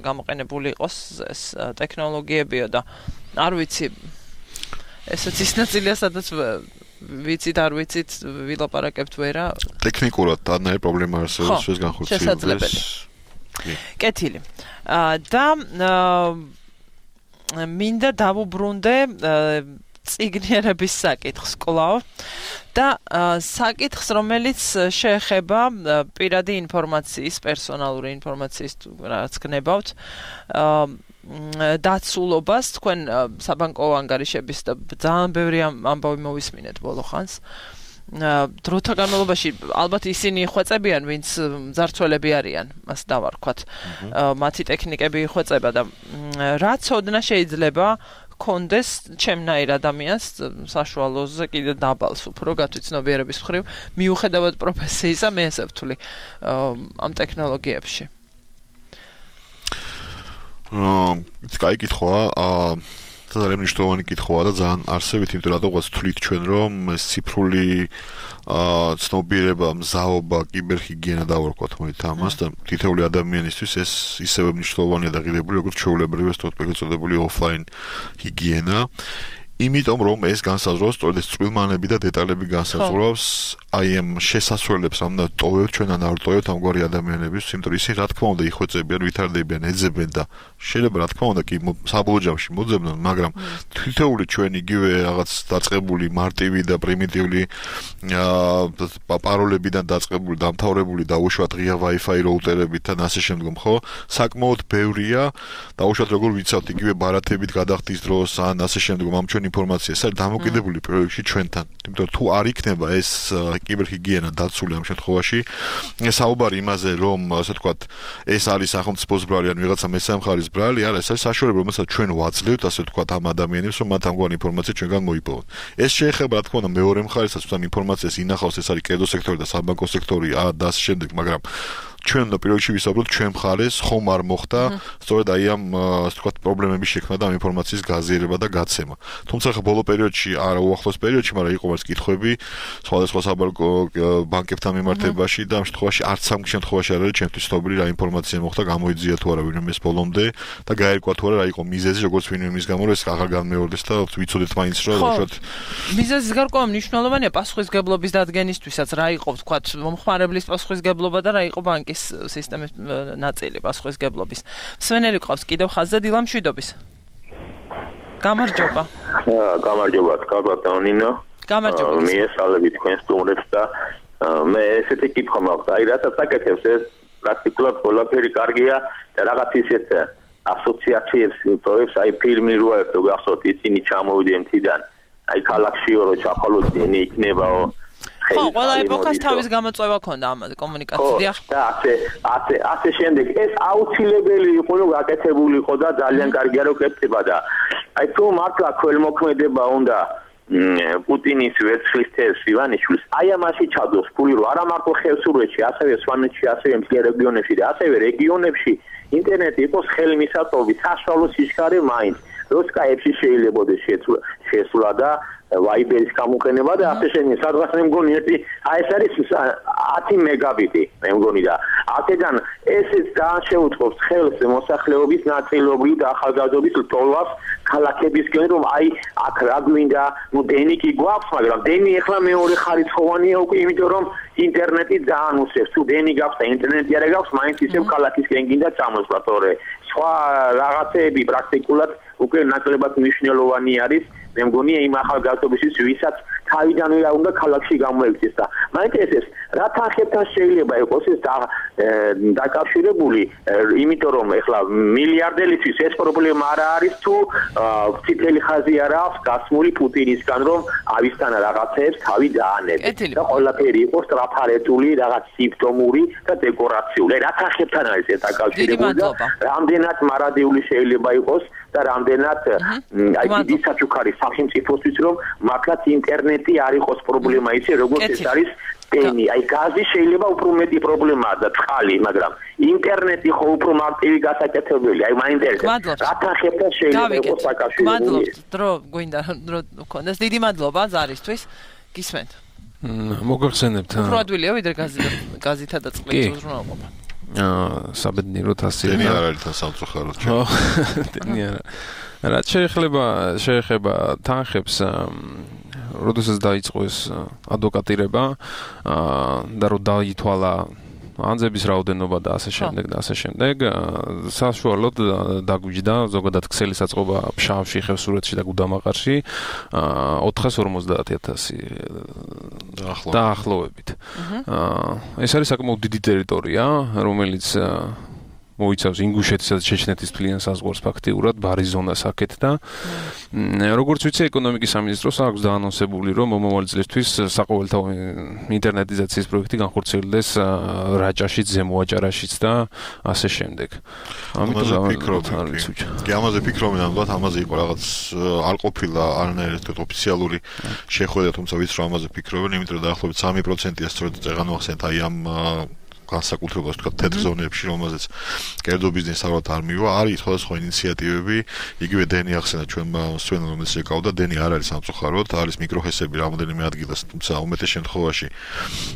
გამოყენებული იყოს ეს ტექნოლოგიებიო და არ ვიცი ესეც ის ნაწილია სადაც ვიცით არ ვიცით ვილაპარაკებთ ვერა ტექნიკურად არანაირი პრობლემა არსებობს ეს განხორციელდეს. კეთილი. და მინდა დავუბრუნდე წიგნიერების საკითხს კვლავ და საკითხს რომელიც შეეხება პირადი ინფორმაციის პერსონალური ინფორმაციის რაც გნებავთ დაცულობას თქვენ საბანკო ანგარიშების და ძალიან ბევრი ამბავი მოვისმინეთ ბოლო ხანს დროთა განმავლობაში ალბათ ისინი ხვეწებიან ვინც მძარცველები არიან მას დავარქვათ მათი ტექნიკები ხვეწება და რაც ოდნა შეიძლება კონდეს ჩემნაირ ადამიანს საშუალოზე კიდე დაბალს უფრო გათვითცნობიერების მხრივ მიუხედავად პროფესიისა მე ესე ვთვლი ამ ტექნოლოგიებში აა კაი კითხვა აა ძალიან მნიშვნელოვანი კითხვაა და ძალიან არსებით, იმიტომ რომ რატოღაც თვლით ჩვენ რომ ეს ციფრული აა ცნობიერება, მზაობა, კიბერჰიგიენა დავარქვათ მოით ამას და თითოეული ადამიანისთვის ეს ისევე მნიშვნელოვანია და ღირებული როგორც ჩვეულებრივი ეს თვითმფრინავებული ოფლაინ ჰიგიენა. იმიტომ რომ ეს განსაზღვრავს სწორედ ეს წვრილმანები და დეტალები განსაზღვრავს აი ამ შესასვლელებს ამ და ტოვებთ ჩვენ ან არ ტოვებთ ამგვარი ადამიანების, იმიტომ რომ ისინი რა თქმა უნდა იხვეწებიან, ვითარდებიან, ეძებენ და შეიძლება რა თქმა უნდა კი საბოლოო ჯამში მოძებნონ, მაგრამ თითოეული ჩვენ იგივე რაღაც დაწყებული მარტივი და პრიმიტიული პაროლებიდან დაწყებული, დამთავრებული და უშუალოდ ღია Wi-Fi რაუტერებით და ასე შემდგომ, ხო? საკმაოდ ბევრია და უშუალოდ როგორ ვიცავთ იგივე ბარათებით გადახდის დროს ან ასე შემდგომ ამ ჩვენი ინფორმაცია ეს არის დამოკიდებული პირველ რიგში ჩვენთან. იმიტომ რომ თუ არ იქნება ეს კიბერჰიგიენა დაცული ამ შემთხვევაში, საუბარი იმაზე, რომ ასე ვთქვათ, ეს არის სახელმწიფოს ბრალი ან ვიღაცა მესამე მხარის ბრალი, არა, ეს არის საშუალება, რომელსაც ჩვენ ვაძლევთ, ასე ვთქვათ, ამ ადამიანებს, რომ მათ ამგვარი ინფორმაცია ჩვენგან მოიპოვონ. ეს შეეხება, რა თქმა უნდა, მეორე მხარესაც, თუ ამ ინფორმაციას ინახავს, ეს არის კედო სექტორი და საბანკო სექტორი და ასე შემდეგ, მაგრამ ჩვენ უნდა პირველ რიგში ვისაუბროთ ჩვენ მხარეს ხომ არ მოხდა სწორედ აი ამ ასე ვთქვათ პრობლემების შექმნა და ამ ინფორმაციის გაზიარება და გაცემა. თუმცა ხა ბოლო პერიოდში, არა უახლოს პერიოდში, მაგრამ იყო მას კითხვები სხვადასხვა საბანკო ბანკებთან მიმართებაში და ამ შემთხვევაში არც ამ შემთხვევაში არ არის ჩემთვის ცნობილი რა ინფორმაცია მოხდა, გამოიძია თუ არა ვინმე ეს ბოლომდე და გაერკვა თუ არა რა იყო მიზეზი, როგორც ვინმე იმის გამო, რომ ეს აღარ განმეორდეს და ვიცოდეთ მაინც რომ უშუალოდ მიზეზის გარკვევა მნიშვნელოვანია პასუხისგებლობის დადგენისთვისაც, რა იყო ვთქვათ მომხმარებლის პასუხისგებლობა და რა იყო ბანკის სისტემის ნაწილი პასუხისგებლობის. სვენელი ყავს კიდევ ხაზზე დილა მშვიდობის. გამარჯობა. გამარჯობა, კარგად ნინო. გამარჯობა. მიესალმებით თქვენ სტუმრებს და მე ესეთი კითხვა მაქვს. აი რასაც აკეთებს ეს პრაქტიკულად ყველაფერი კარგია და რაღაც ისეთ ასოციაციებს პროექტს, აი ფილმი რო ერთო გახსოვთ ისინი ჩამოვიდნენ თიდან. აი ქალაქშიო რო ჩახალოდნენ იქნებაო ხო, ყველა ეპოქას თავის გამოწვევა ქონდა ამ კომუნიკაცია. ხო, და ასე, ასე, ასე შემდეგ ეს აუცილებელი იყო, რომ გაკეთებული იყო და ძალიან კარგია რომ კეთდება და აი თუ მართლა ქველმოქმედება უნდა პუტინის ვერცხლის თევზს ივანიშვილს, აი ამაში ჩადოს ფული, რომ არა მარტო ხევსურეთში, ასევე სვანეთში, ასევე მთიან რეგიონებში და ასევე რეგიონებში ინტერნეტი იყოს ხელმისაწვდომი, საშუალო სიჩქარე მაინც. როსკაებში შეიძლება შესვლა და ვაიბერის გამოყენება და ასე შემდეგ. სადღაც მე მგონი ერთი აი ეს არის ათი მეგაბიტი მე მგონი და აქედან ესეც ძალიან შეუწყობს ხელს მოსახლეობის ნაწილობრივ და ახალგაზრდობის ლტოლვას ქალაქებისკენ, რომ აი აქ რა გვინდა, ნუ დენი კი გვაქვს, მაგრამ დენი ახლა მეორე ხარისხოვანია უკვე, იმიტომ რომ ინტერნეტი ძალიან უსწრებს. თუ დენი გაქვს და ინტერნეტი არ გაქვს, მაინც ისევ ქალაქისკენ გინდა წამოსვლა, თორე სხვა რაღაცეები პრაქტიკულად უკვე ნაკლებად მნიშვნელოვანი არის. მე მგონი იმ ახალგაზრდობისთვის, ვისაც თავიდანვე რა უნდა ქალაქში გამოექცეს და მაინტერესებს რა თანხებთან შეიძლება იყოს ეს დაკავშირებული, იმიტომ რომ ეხლა მილიარდელისთვის ეს პრობლემა არ არის თუ ციტელი ხაზი არ აქვს გასმული პუტინისგან, რომ ავისთან რაღაცეებს თავი დაანებს და ყველაფერი იყოს ტრაფარეტული, რაღაც სიმპტომური და დეკორაციული. რა თანხებთან არის ეს დაკავშირებული და რამდენად მარადიული შეიძლება იყოს და რამდენად აი დიდი საჩუქარი სახელმწიფოსთვის, რომ მართლაც ინტერნეტი არ იყოს პრობლემა ისე, როგორც ეს არის დენი. აი გაზი შეიძლება უფრო მეტი პრობლემაა და წყალი, მაგრამ ინტერნეტი ხო უფრო მარტივი გასაკეთებელი. აი მაინტერესებს რა თანხებთან შეიძლება იყოს საკავშირო. მადლობთ, დრო გვინდა დრო გქონდეს. დიდი მადლობა ზარისთვის. გისმენთ. მოგახსენებთ. უფრო ადვილია ვიდრე გაზითა და წყლით უზრუნველყოფა. აა საბედნიეროდ ასე დენი არ არის თან სამწუხაროდ. ხო, დენი არა. რაც შეეხება შეეხება თანხებს, როდესაც დაიწყო ეს ადვოკატირება და რომ დაითვალა ანძების რაოდენობა და ასე შემდეგ და ასე შემდეგ, საშუალოდ დაგვიჯდა ზოგადად ქსელი საწყობა ფშავში, ხევსურეთში და გუდამაყარში ოთხას ორმოცდაათი ათასი დაახლოებით. ეს არის საკმაოდ დიდი ტერიტორია, რომელიც მოიცავს ინგუშეთისა და ჩეჩნეთის მთლიან საზღვარს ფაქტიურად, ბარის ზონას აქეთ და როგორც ვიცი, ეკონომიკის სამინისტროს აქვს დაანონსებული, რომ მომავალი წლისთვის საყოველთაო ინტერნეტიზაციის პროექტი განხორციელდეს რაჭაშიც, ზემო აჭარაშიც და ასე შემდეგ. ამიტომ არ ვიცი. კი, ამაზე ფიქრობენ, ალბათ ამაზე იყო რაღაც არ ყოფილა არანაირი ოფიციალური შეხვედრა, თუმცა ვიცი რომ ამაზე ფიქრობენ, იმიტომ რომ დაახლოებით სამი პროცენტია სწორედ წეგან მოახსენეთ აი ამ განსაკუთრებულად თქვა თეთრ ზონებში, რომელზეც კერძო ბიზნესი ალბათ არ მივა, არის სხვადასხვა ინიციატივები, იგივე დენი ახსენა ჩვენმა სვენელმა, რომელიც ეკავდა, დენი არ არის სამწუხაროდ, არის მიკროჰესები რამოდენიმე ადგილას, თუმცა უმეტეს შემთხვევაში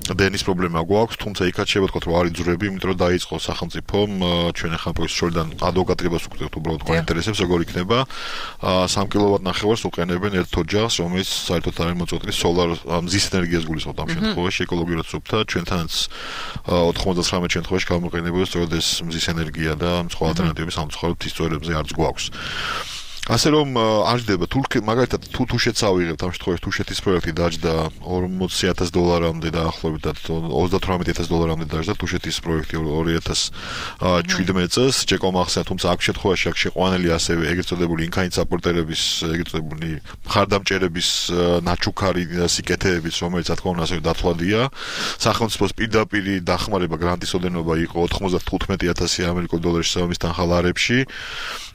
დენის პრობლემა გვაქვს, თუმცა იქაც შეიძლება ვთქვათ, რომ არის ძვრები, იმიტომ რომ დაიწყო სახელმწიფომ ჩვენ ახლა პროექტს შორიდან ადვოკატირებას უყურებთ უბრალოდ გვაინტერესებს, როგორ იქნება სამი კილოვატ ნახევარს უყენებენ ერთ ოჯახს, რომელიც საერთოდ არის მოწყვეტილი სოლარ მზის ენერგიას გულისხმობთ ამ შემთხვევაში, ეკოლოგიურად სუფთა, ჩვენთანაც ოცდათხმეტ შემთხვევაში გამოყენებოდა სწორედ ეს მზის ენერგია და სხვა ალტერნატივები სამწუხაროდ ის წვერებზე არც გვაქვს. ასე რომ არ ჯდება თურქი მაგალითად თუ თუშეთს ავიღებთ ამ შემთხვევაში თუშეთის პროექტი დაჯდა ორმოცი ათას დოლარამდე დაახლოებით ოცდათვრამეტი ათას დოლარამდე დაჯდა თუშეთის პროექტი ორი ათას შვიდმეტ წელს ჯეკო მახსენა თუმცა აქ შემთხვევაში აქ შეყვანილი ასევე ეგრეთ წოდებული ინქაინით საპორტერების ეგრეთ წოდებული მხარდამჭერების ნაჩუქარი სიკეთეების რომელიც რა თქმა უნდა ასევე დათვლადია სახელმწიფოს პირდაპირი დახმარება გრანტის ოდენობა იყო ოთხმოცდათხუთმეტი ათასი ამერიკულ დოლარი შესაბამის თანხალარებში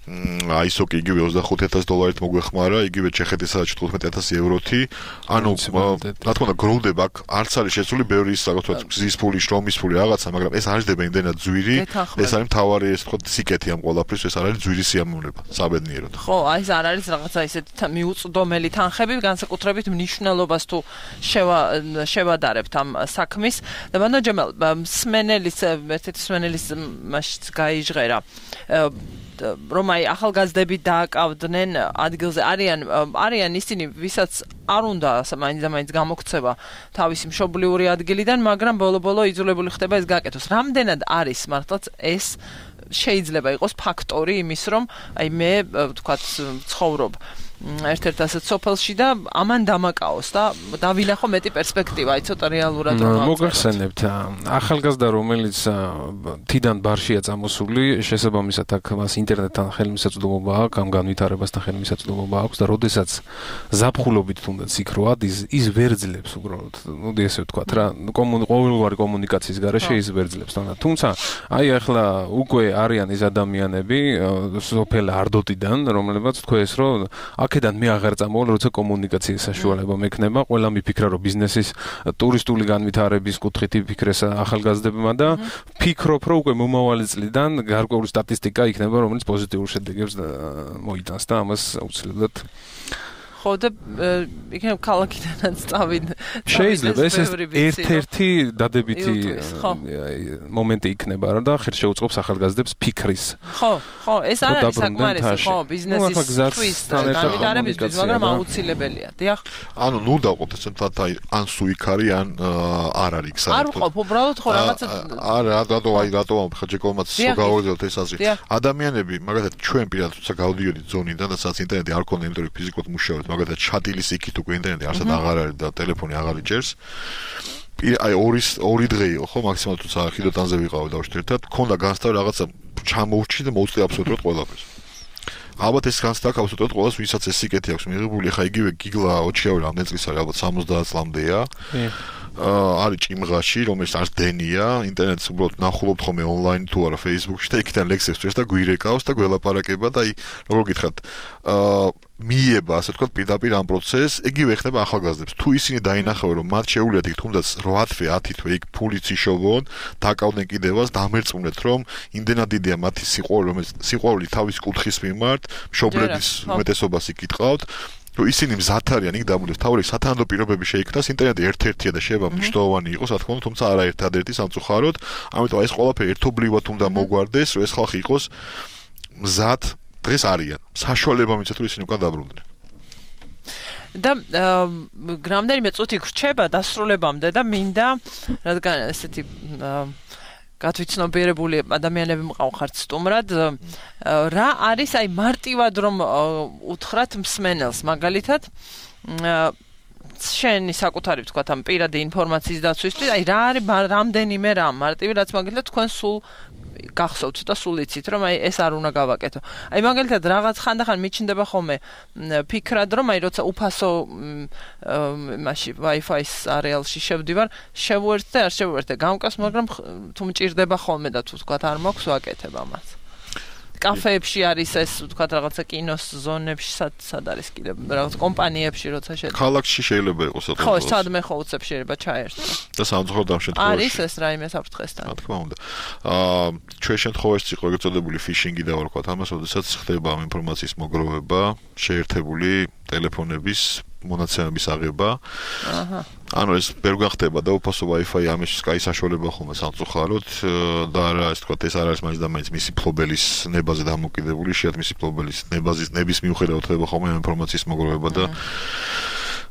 აი სოკი იგივე ოცდახუთი ათას დოლარით მოგვეხმარა, იგივე ჩეხეთისა ჭთხუთმეტი ათასი ევროთი. ანუ რა თქმა უნდა გროვდება აქ არც არის შესული ბევრი ის რაღაცა გზის ფული, შრომის ფული რაღაცა, მაგრამ ეს არ ჯდება იმდენად ძვირი. ეს არის მთავარი ეს თქო სიკეთი ამ ყველაფრის, ეს არ არის ძვირი სიამოვნება, საბედნიეროდ. ხო, აი ეს არ არის რაღაცა ისეთი მიუწვდომელი თანხები, განსაკუთრებით მნიშვნელობას თუ შევადარებთ ამ საქმის. და ბანო ჯემალ სმენელის ერთ-ერთი სმენელის მასშ გაიჟღერა. რომ აი ახალგაზრდები დააკავდნენ ადგილზე არიან არიან ისინი ვისაც არ უნდა მაინც და მაინც გამოქცევა თავისი მშობლიური ადგილიდან მაგრამ ბოლო-ბოლო იძულებული ხდება ეს გააკეთოს. რამდენად არის მართლაც ეს შეიძლება იყოს ფაქტორი იმის რომ აი მე ვთქვათ ცხოვრობ ერთ-ერთ ასეთ სოფელში და ამან დამაკაოს და დავინახო მეტი პერსპექტივა, აი ცოტა რეალურად მოგახსენებთ ახალგაზრდა რომელიც თიდან ბარშია წამოსული, შესაბამისად აქ მას ინტერნეტთან ხელმისაწვდომობა აქვს, ამ განვითარებასთან ხელმისაწვდომობა აქვს და როდესაც ზაფხულობით თუნდაც იქ რო ადის, ის ვერძლებს უბრალოდ. მოდი ესე ვთქვათ რა, ყოველგვარი კომუნიკაციის გარეშე ის ვერძლებს. თუმცა აი ახლა უკვე არიან ის ადამიანები სოფელ არდოტიდან, რომლებიც თქვენ ეს რომ აქედან მე აღარ წამოვალ, როცა კომუნიკაციის საშუალება მექნება, ყველა მიფიქრა რომ ბიზნესის ტურისტული განვითარების კუთხით იფიქრეს ახალგაზრდებმა და ფიქრობ რომ უკვე მომავალი წლიდან გარკვეული სტატისტიკა იქნება, რომელიც პოზიტიურ შედეგებს მოიტანს და ამას აუცილებლად ხო და იქნებ ქალაქიდანაც წავიდ შეიძლება ეს ერთ-ერთი დადებითი მომენტი იქნება რა და ხერ შეუწყობს ახალგაზრდებს ფიქრის ხო ხო ეს არ არის საკმარისი ხო ბიზნესის განვითარებისთვის მაგრამ აუცილებელია დიახ ანუ ნუ დავყოთ ეს თათ აი ან სუიქ არის ან არ არის საერთოდ არ ვყოფ უბრალოდ ხო რაღაცა არა რატო აი რატო ხაჯეკოვმაც გავაგზავნოთ ეს აზრი ადამიანები მაგალითად ჩვენ პირადად თუცა გავდიოდით ზონიდან და სადაც ინტერნეტი არ ქონდა იმიტომ რომ ფიზიკურად მუშაობთ მაგალითად ჩატილის იქით უკვე ინტერნეტი არსად აღარ არის და ტელეფონი აღარ იჭერს. აი ორი ორი დღე იყო ხო მაქსიმალურად თუცა ხიდოტანზე ვიყავ დავშვით ერთად, ქონდა განსტავ რაღაცა ჩამოვჭი და მოუწდი აბსოლუტურად ყველაფერს. ალბათ ეს განსტავ აბსოლუტურად ყველას ვისაც ეს სიკეთი აქვს მიღებული, ხა იგივე გიგლა ოჩიავი რამდენი წლის არის, ალბათ სამოცდაათ წლამდეა. არის ჭიმღაში, რომელიც არც დენია, ინტერნეტს უბრალოდ ნახულობთ ხოლმე ონლაინ თუ არა Facebook-ში და იქიდან ლექსებს წერს და გვირეკავს და გველაპარაკება და აი როგორ გითხრათ, აა მიება, ასე ვთქვათ, პირდაპირ ამ პროცესს, იგივე ხდება ახალგაზრდებს. თუ ისინი დაინახავენ, რომ მათ შეუძლიათ იქ თუნდაც რვა თვე, ათი თვე იქ ფულით იშოვონ, დაკავდნენ კიდევაც, დამერწმუნეთ, რომ იმდენად დიდია მათი სიყვარული, რომელიც სიყვარული თავის კუთხის მიმართ, მშობლების უმეტესობას იქ იტყავთ. რომ ისინი მზად არიან იქ დამულეს, თავი სათანადო პირობები შეიქმნას, ინტერნეტი ერთ-ერთია და შეიძლება მნიშვნელოვანი იყოს, რა თქმა უნდა, თუმცა არა ერთადერთი სამწუხაროდ, ამიტომ ეს ყველაფერი ერთობლივად უნდა მოგვარდეს, რომ ეს ხალხი იყოს მზად დღეს არიან. საშუალება მიცეთ რომ ისინი უკან დაბრუნდნენ. და რამდენიმე წუთი გრჩება დასრულებამდე და მინდა რადგან ესეთი გათვითცნობიერებული ადამიანები მყავხართ სტუმრად რა არის აი მარტივად რომ უთხრათ მსმენელს მაგალითად შენი საკუთარი ვთქვათ ამ პირადი ინფორმაციის დაცვისთვის აი რა არის რამდენიმე რამ მარტივი რაც მაგალითად თქვენ სულ გახსოვთ და სულ იცით რომ აი ეს არ უნდა გავაკეთო. აი მაგალითად რაღაც ხანდახან მიჩნდება ხოლმე ფიქრად რომ აი როცა უფასო მაშინ Wi-Fi-ის არეალში შევდივარ, შევუერთდე, არ შევუერთდე, გამკას, მაგრამ თუ მჭირდება ხოლმე და თუ თქვათ არ მაქვს ვაკეთებ ამას. კაფეებში არის ეს ვთქვათ რაღაცა კინოს ზონებში სად არის კიდე რაღაც კომპანიებში როცა შედა. ქალაქში შეიძლება იყოს საერთოდ. ხო, სადმე ხო უცებ შეიძლება ჩაერთო. და სამწუხაროდ ამ შემთხვევაში არის ეს რაიმე საფრთხესთან. რა თქმა უნდა. აა ჩვენ შემთხვევაში იყო ეგრეთ წოდებული ფიშინგი და ვარქვათ ამას, როდესაც ხდება ამ ინფორმაციის მოგროვება, შეერთებული ტელეფონების მონაცემების აღება. აჰა. ანუ ეს ვერ გახდება და უფასო Wi-Fi ამისთვის კაი საშუალება ხოლმე სამწუხაროდ და რა ის თქვა ეს არ არის მაინც და მაინც მისი ფლობელის ნებაზე დამოკიდებული, შეათ მისი ფლობელის ნებაზის ნების მიუხედავად ხდება ხოლმე ამ ინფორმაციის მოგროვება და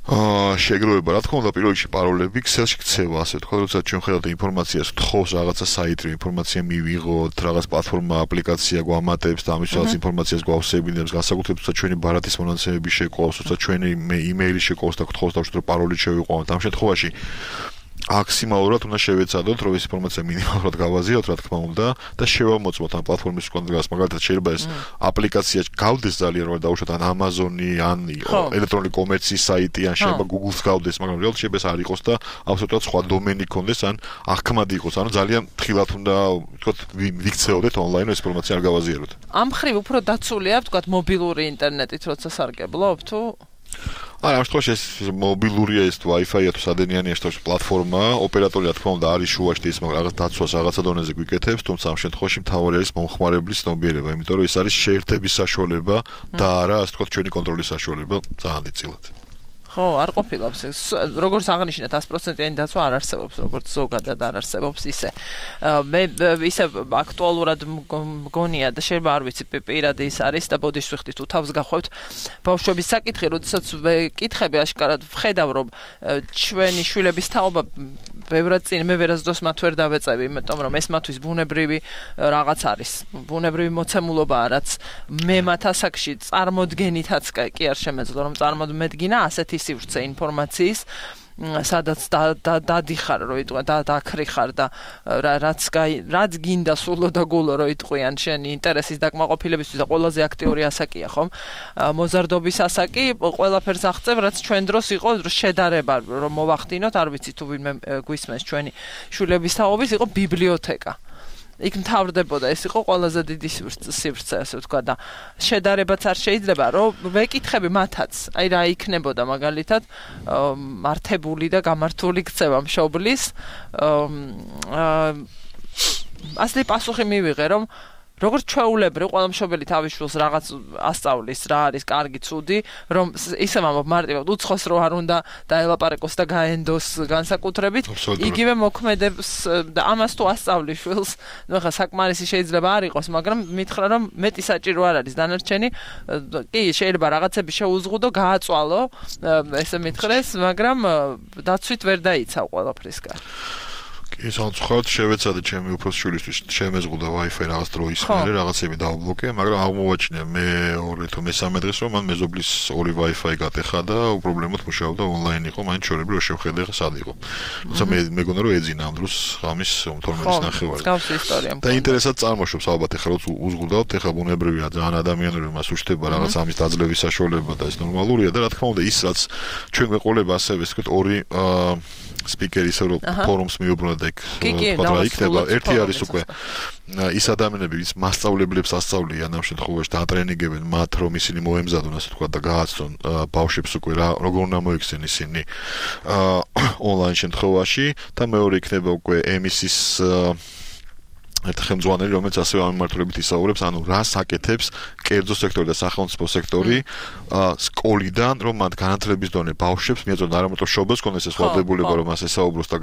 აა შეგროვება, რა თქმა უნდა, პირველ რიგში პაროლები, ქსელში ქცევა, ასე ვთქვათ, როცა ჩვენ ხედავთ ინფორმაციას, თხოვს რაღაცა საიტი, ინფორმაცია მივიღოთ, რაღაც პლატფორმა, აპლიკაცია გვამატებს და ამის რაღაც ინფორმაციას გვავსებინებს, განსაკუთრებით თუმცა ჩვენი ბარათის მონაცემები შეყავს, თუმცა ჩვენი იმეილი შეყავს და გთხოვს დავშოთ, რომ პაროლი შევიყვანოთ. ამ შემთხვევაში მაქსიმალურად უნდა შევეცადოთ, რომ ეს ინფორმაცია მინიმალურად გავაზიაროთ, რა თქმა უნდა, და შევამოწმოთ ამ პლატფორმის კონტროლს. მაგალითად, შეიძლება ეს აპლიკაცია გავდეს ძალიან, რომ დავუშვათ ან Amazon-ი, ან ელექტრონული კომერციის საიტი, ან შეიძლება Google-ს გავდეს, მაგრამ რეალურად შეიძლება ეს არ იყოს და აბსოლუტურად სხვა დომენი კონდეს, ან აღქმადი იყოს. ანუ ძალიან ფრთხილად უნდა, ვთქვათ, ვიქცეოდეთ ონლაინ, ეს ინფორმაცია არ გავაზიაროთ. ამ ხრივ უფრო დაცულია, ვთქვათ, მობილური ინტერნეტით, როცა სარგებლობ თუ არა, ამ შემთხვევაში ეს მობილურია, ეს Wi-Fi-ა თუ სადენიანი ეს პლატფორმა, ოპერატორი რა თქმა უნდა არის შუაში ის რაღაც დაცვას რაღაცა დონეზე გვიკეთებს, თუმცა ამ შემთხვევაში მთავარი არის მომხმარებლის ცნობიერება, იმიტომ რომ ეს არის შეერთების საშუალება და არა, ასე ვთქვათ, ჩვენი კონტროლის საშუალება ძალიან დიდწილად. ხო, არ ყოფილობს ეს. როგორც აღნიშნეთ, sto პროცენტიანი დაცვა არ არსებობს, როგორც ზოგადად არ არსებობს ისე. მე ისე აქტუალურად მგონია და შეიძლება არ ვიცი, პირადი ის არის და ბოდიშს ვიხდი თუ თავს გახვევთ ბავშვების საკითხი, როდესაც ვკითხები აშკარად ვხედავ, რომ ჩვენი შვილების თაობა ბევრად წინ მე ვერასდროს მათ ვერ დავეწევი, იმიტომ რომ ეს მათთვის ბუნებრივი რაღაც არის. ბუნებრივი მოცემულობაა, რაც მე მათ ასაკში წარმოდგენითაც კი არ შემეძლო, რომ წარმომედგინა ასეთი სივრცე ინფორმაციის, სადაც დადიხარ, რომ იტყვი და დაქრიხარ და რაც რაც გინდა სულო და გულო რომ იტყვიან შენი ინტერესის დაკმაყოფილებისთვის და ყველაზე აქტიური ასაკია, ხომ? მოზარდობის ასაკი ყველაფერს აღწევ, რაც ჩვენ დროს იყო შედარება, რომ მოვახდინოთ, არ ვიცი თუ ვინმე გვისმენს ჩვენი შვილების თაობის, იყო ბიბლიოთეკა. იქ მთავრდებოდა, ეს იყო ყველაზე დიდი სივრცე, ასე ვთქვა და შედარებაც არ შეიძლება, რომ ვეკითხები მათაც, აი რა იქნებოდა მაგალითად მართებული და გამართული ქცევა მშობლის. ასეთი პასუხი მივიღე, რომ როგორც ჩვეულებრივ ყველა მშობელი თავის შვილს რაღაც ასწავლის, რა არის კარგი, ცუდი, რომ ისე მამობ მარტივად უცხოს რო არ უნდა დაელაპარაკოს და გაენდოს განსაკუთრებით, იგივე მოქმედებს და ამას თუ ასწავლის შვილს, ნუ ხა საკმარისი შეიძლება არ იყოს, მაგრამ მითხრა რომ მეტი საჭირო არ არის დანარჩენი, კი შეიძლება რაღაცები შეუზღუდო, გააწვალო, ესე მითხრეს, მაგრამ დაცვით ვერ დაიცავ ყველაფრისგან. ის անցუხად შევეცადე ჩემი უფროს შვილისთვის შემეზღუდა Wi-Fi რაღაც დროის მერე რაღაცები დავბლოკე, მაგრამ აღმოვაჩინე მე ორი თუ მესამე დღეს რომ მან მეზობლის ორი Wi-Fi გატეხა და უპრობლემოდ მუშაობდა ონლაინ იყო, მაინც შორები რო შევხედე ხა სად იყო. თუმცა მე მეგონა რომ ეძინა ამ დროს ღამის თორმეტის ნახევარი. გავსი ისტორია. და ინტერესად წარმოშობს ალბათ ეხლა რო უზღუდავთ, ეხლა ბუნებრივია ძალიან ადამიანური მას უშტება რაღაც ამის დაძლევის საშუალება და ეს ნორმალურია და რა თქმა უნდა ის რაც ჩვენ გვეყოლება ასევე ეს ვთქვით ორი სპიკერი ისე რომ ფორუმს მიუბრუნდა და იქ რა იქნება ერთი არის უკვე ის ადამიანები ვის მასწავლებლებს ასწავლიან ამ შემთხვევაში და ატრენინგებენ მათ რომ ისინი მოემზადონ ასე თქვა და გააცნონ ბავშვებს უკვე რა როგორ უნდა მოიქცენ ისინი ონლაინ შემთხვევაში და მეორე იქნება უკვე ემისის ერთ ხელმძღვანელი, რომელიც ასევე ამ მიმართულებით ისაუბრებს, ანუ რას აკეთებს კერძო სექტორი და სახელმწიფო სექტორი სკოლიდან, რომ მათ განათლების დონე ბავშვებს მიეწოდონ არა მარტო მშობელს კონდეს ეს ვალდებულება, რომ მას ესაუბროს და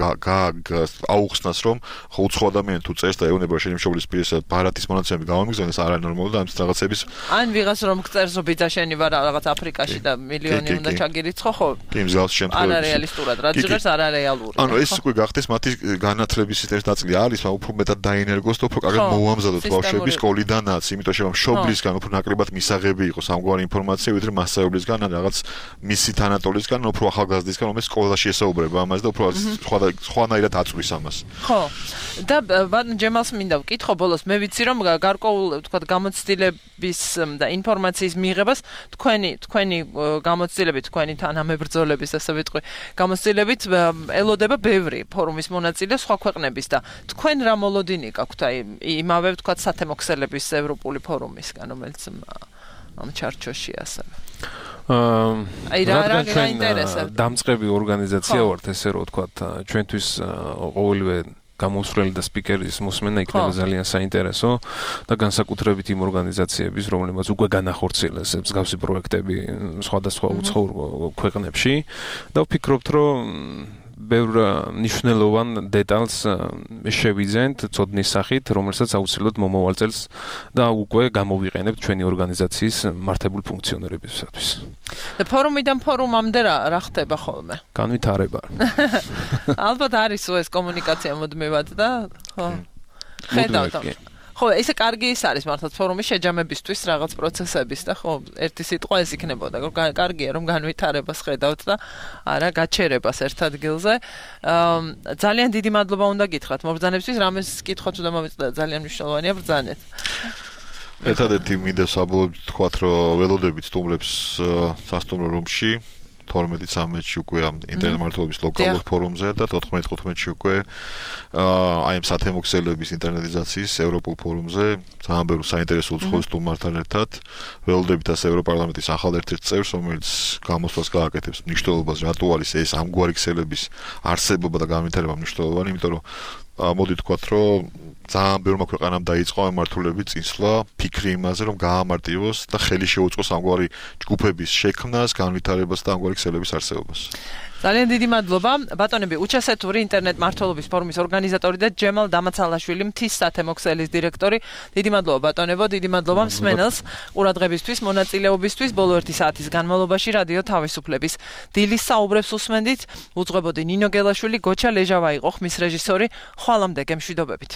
აუხსნას, რომ ხო უცხო ადამიანი თუ წერს და ეუბნება შენი მშობლის პირის ბარათის მონაცემები გამომიგზავნეს, არა ნორმალური და ამის რაღაცების ან ვიღას რომ წერს ბიძა შენი ვარ რაღაც აფრიკაში და მილიონი უნდა ჩაგირიცხო, ხო? კი, მსგავს შემთხვევებში. არა რეალისტურად, რაც ჟღერს არა რეალური. ანუ ეს უკვე გახდეს მათი განათლების ერთ ნაწილი არის, მაგრამ უფრო მეტად დაინერგოს და უფრო კარგად მოუამზადოთ ბავშვები სკოლიდანაც, იმიტომ რომ მშობლისგან უფრო ნაკლებად მისაღები იყოს ამგვარი ინფორმაცია, ვიდრე მასწავლებლისგან ან რაღაც მისი თანატოლისგან, უფრო ახალგაზრდისგან, რომელიც სკოლაში ესაუბრება ამას და უფრო სხვანაირად აწვის ამას. ხო. და ბატონ ჯემალს მინდა ვკითხო ბოლოს, მე ვიცი რომ გარკვეულ თქვა გამოცდილების და ინფორმაციის მიღებას თქვენი თქვენი გამოცდილებით, თქვენი თანამებრძოლების ასე ვიტყვი, გამოცდილებით ელოდება ბევრი ფორუმის მონაწილე სხვა ქვეყნების და თქვენ რა მოლოდინი გაქვთ აი იმავე ვთქვათ სათემოქსელების ევროპული ფორუმისგან, რომელიც ამ ჩარჩოში ასევე. აი რა რა გაინტერესებთ? დამწყები ორგანიზაცია ვართ, ესე რომ ვთქვათ, ჩვენთვის ყოველივე გამოსვლელი და სპიკერის მოსმენა იქნება ძალიან საინტერესო და განსაკუთრებით იმ ორგანიზაციების, რომლებიც უკვე განახორციელეს მსგავსი პროექტები სხვადასხვა უცხოურ ქვეყნებში და ვფიქრობთ, რომ ბევრ მნიშვნელოვან დეტალს შევიძენთ ცოდნის სახით, რომელსაც აუცილებლად მომავალ წელს და უკვე გამოვიყენებთ ჩვენი ორგანიზაციის მართებულ ფუნქციონირებისათვის. და ფორუმიდან ფორუმამდე რა რა ხდება ხოლმე? განვითარება. ალბათ არის ეს კომუნიკაცია მუდმივად და ხო. ხედავთ. ხო, ესე კარგი ის არის მართლაც ფორუმის შეჯამებისთვის რაღაც პროცესების და ხო, ერთი სიტყვა ეს იქნებოდა, რომ კარგია რომ განვითარებას ხედავთ და არა გაჩერებას ერთ ადგილზე. ძალიან დიდი მადლობა უნდა გითხრათ მობრძანებისთვის, რამეს კითხვაც უნდა მომეწდა, ძალიან მნიშვნელოვანია ბრძანეთ. ერთადერთი მინდა საბოლოოდ თქვათ, რომ ველოდებით სტუმრებს სასტუმრო რომში თორმეტი ცამეტში უკვე ამ ინტერნეტ მართლობის ლოკალურ ფორუმზე და თოთხმეტ თხუთმეტში უკვე აი ამ სათემოქსელების ინტერნეტიზაციის ევროპულ ფორუმზე ძალიან ბევრი საინტერესო უცხოურ სტუმართან ერთად ველოდებით ასე ევროპარლამენტის ახალ ერთ-ერთ წევრს, რომელიც გამოსვლას გააკეთებს მნიშვნელობას, რატო არის ეს ამგვარი ქსელების არსებობა და განვითარება მნიშვნელოვანი, იმიტომ რომ მოდი თქვათ, რომ ძალიან ბევრმა ქვეყანამ დაიწყო მართულების წინსვლა, ფიქრი იმაზე, რომ გაამარტივოს და ხელი შეუწყოს ამგვარი ჯგუფების შექმნას, განვითარებას და ამგვარი ქსელების არსებობას. ძალიან დიდი მადლობა. ბატონები, უჩასეთური ინტერნეტ მართლობის ფორუმის ორგანიზატორი და ჯემალ დამაცალაშვილი, მთის სათემოქსელის დირექტორი. დიდი მადლობა ბატონებო, დიდი მადლობა მსმენელს ყურადღებისთვის, მონაწილეობისთვის. ბოლო ერთი საათის განმავლობაში რადიო თავისუფლების დილის საუბრებს უსმენდით. უძღვებოდი ნინო გელაშვილი, გოჩა ლეჟავა იყო ხმის რეჟისორი. ხვალამდე გემშვიდობებით.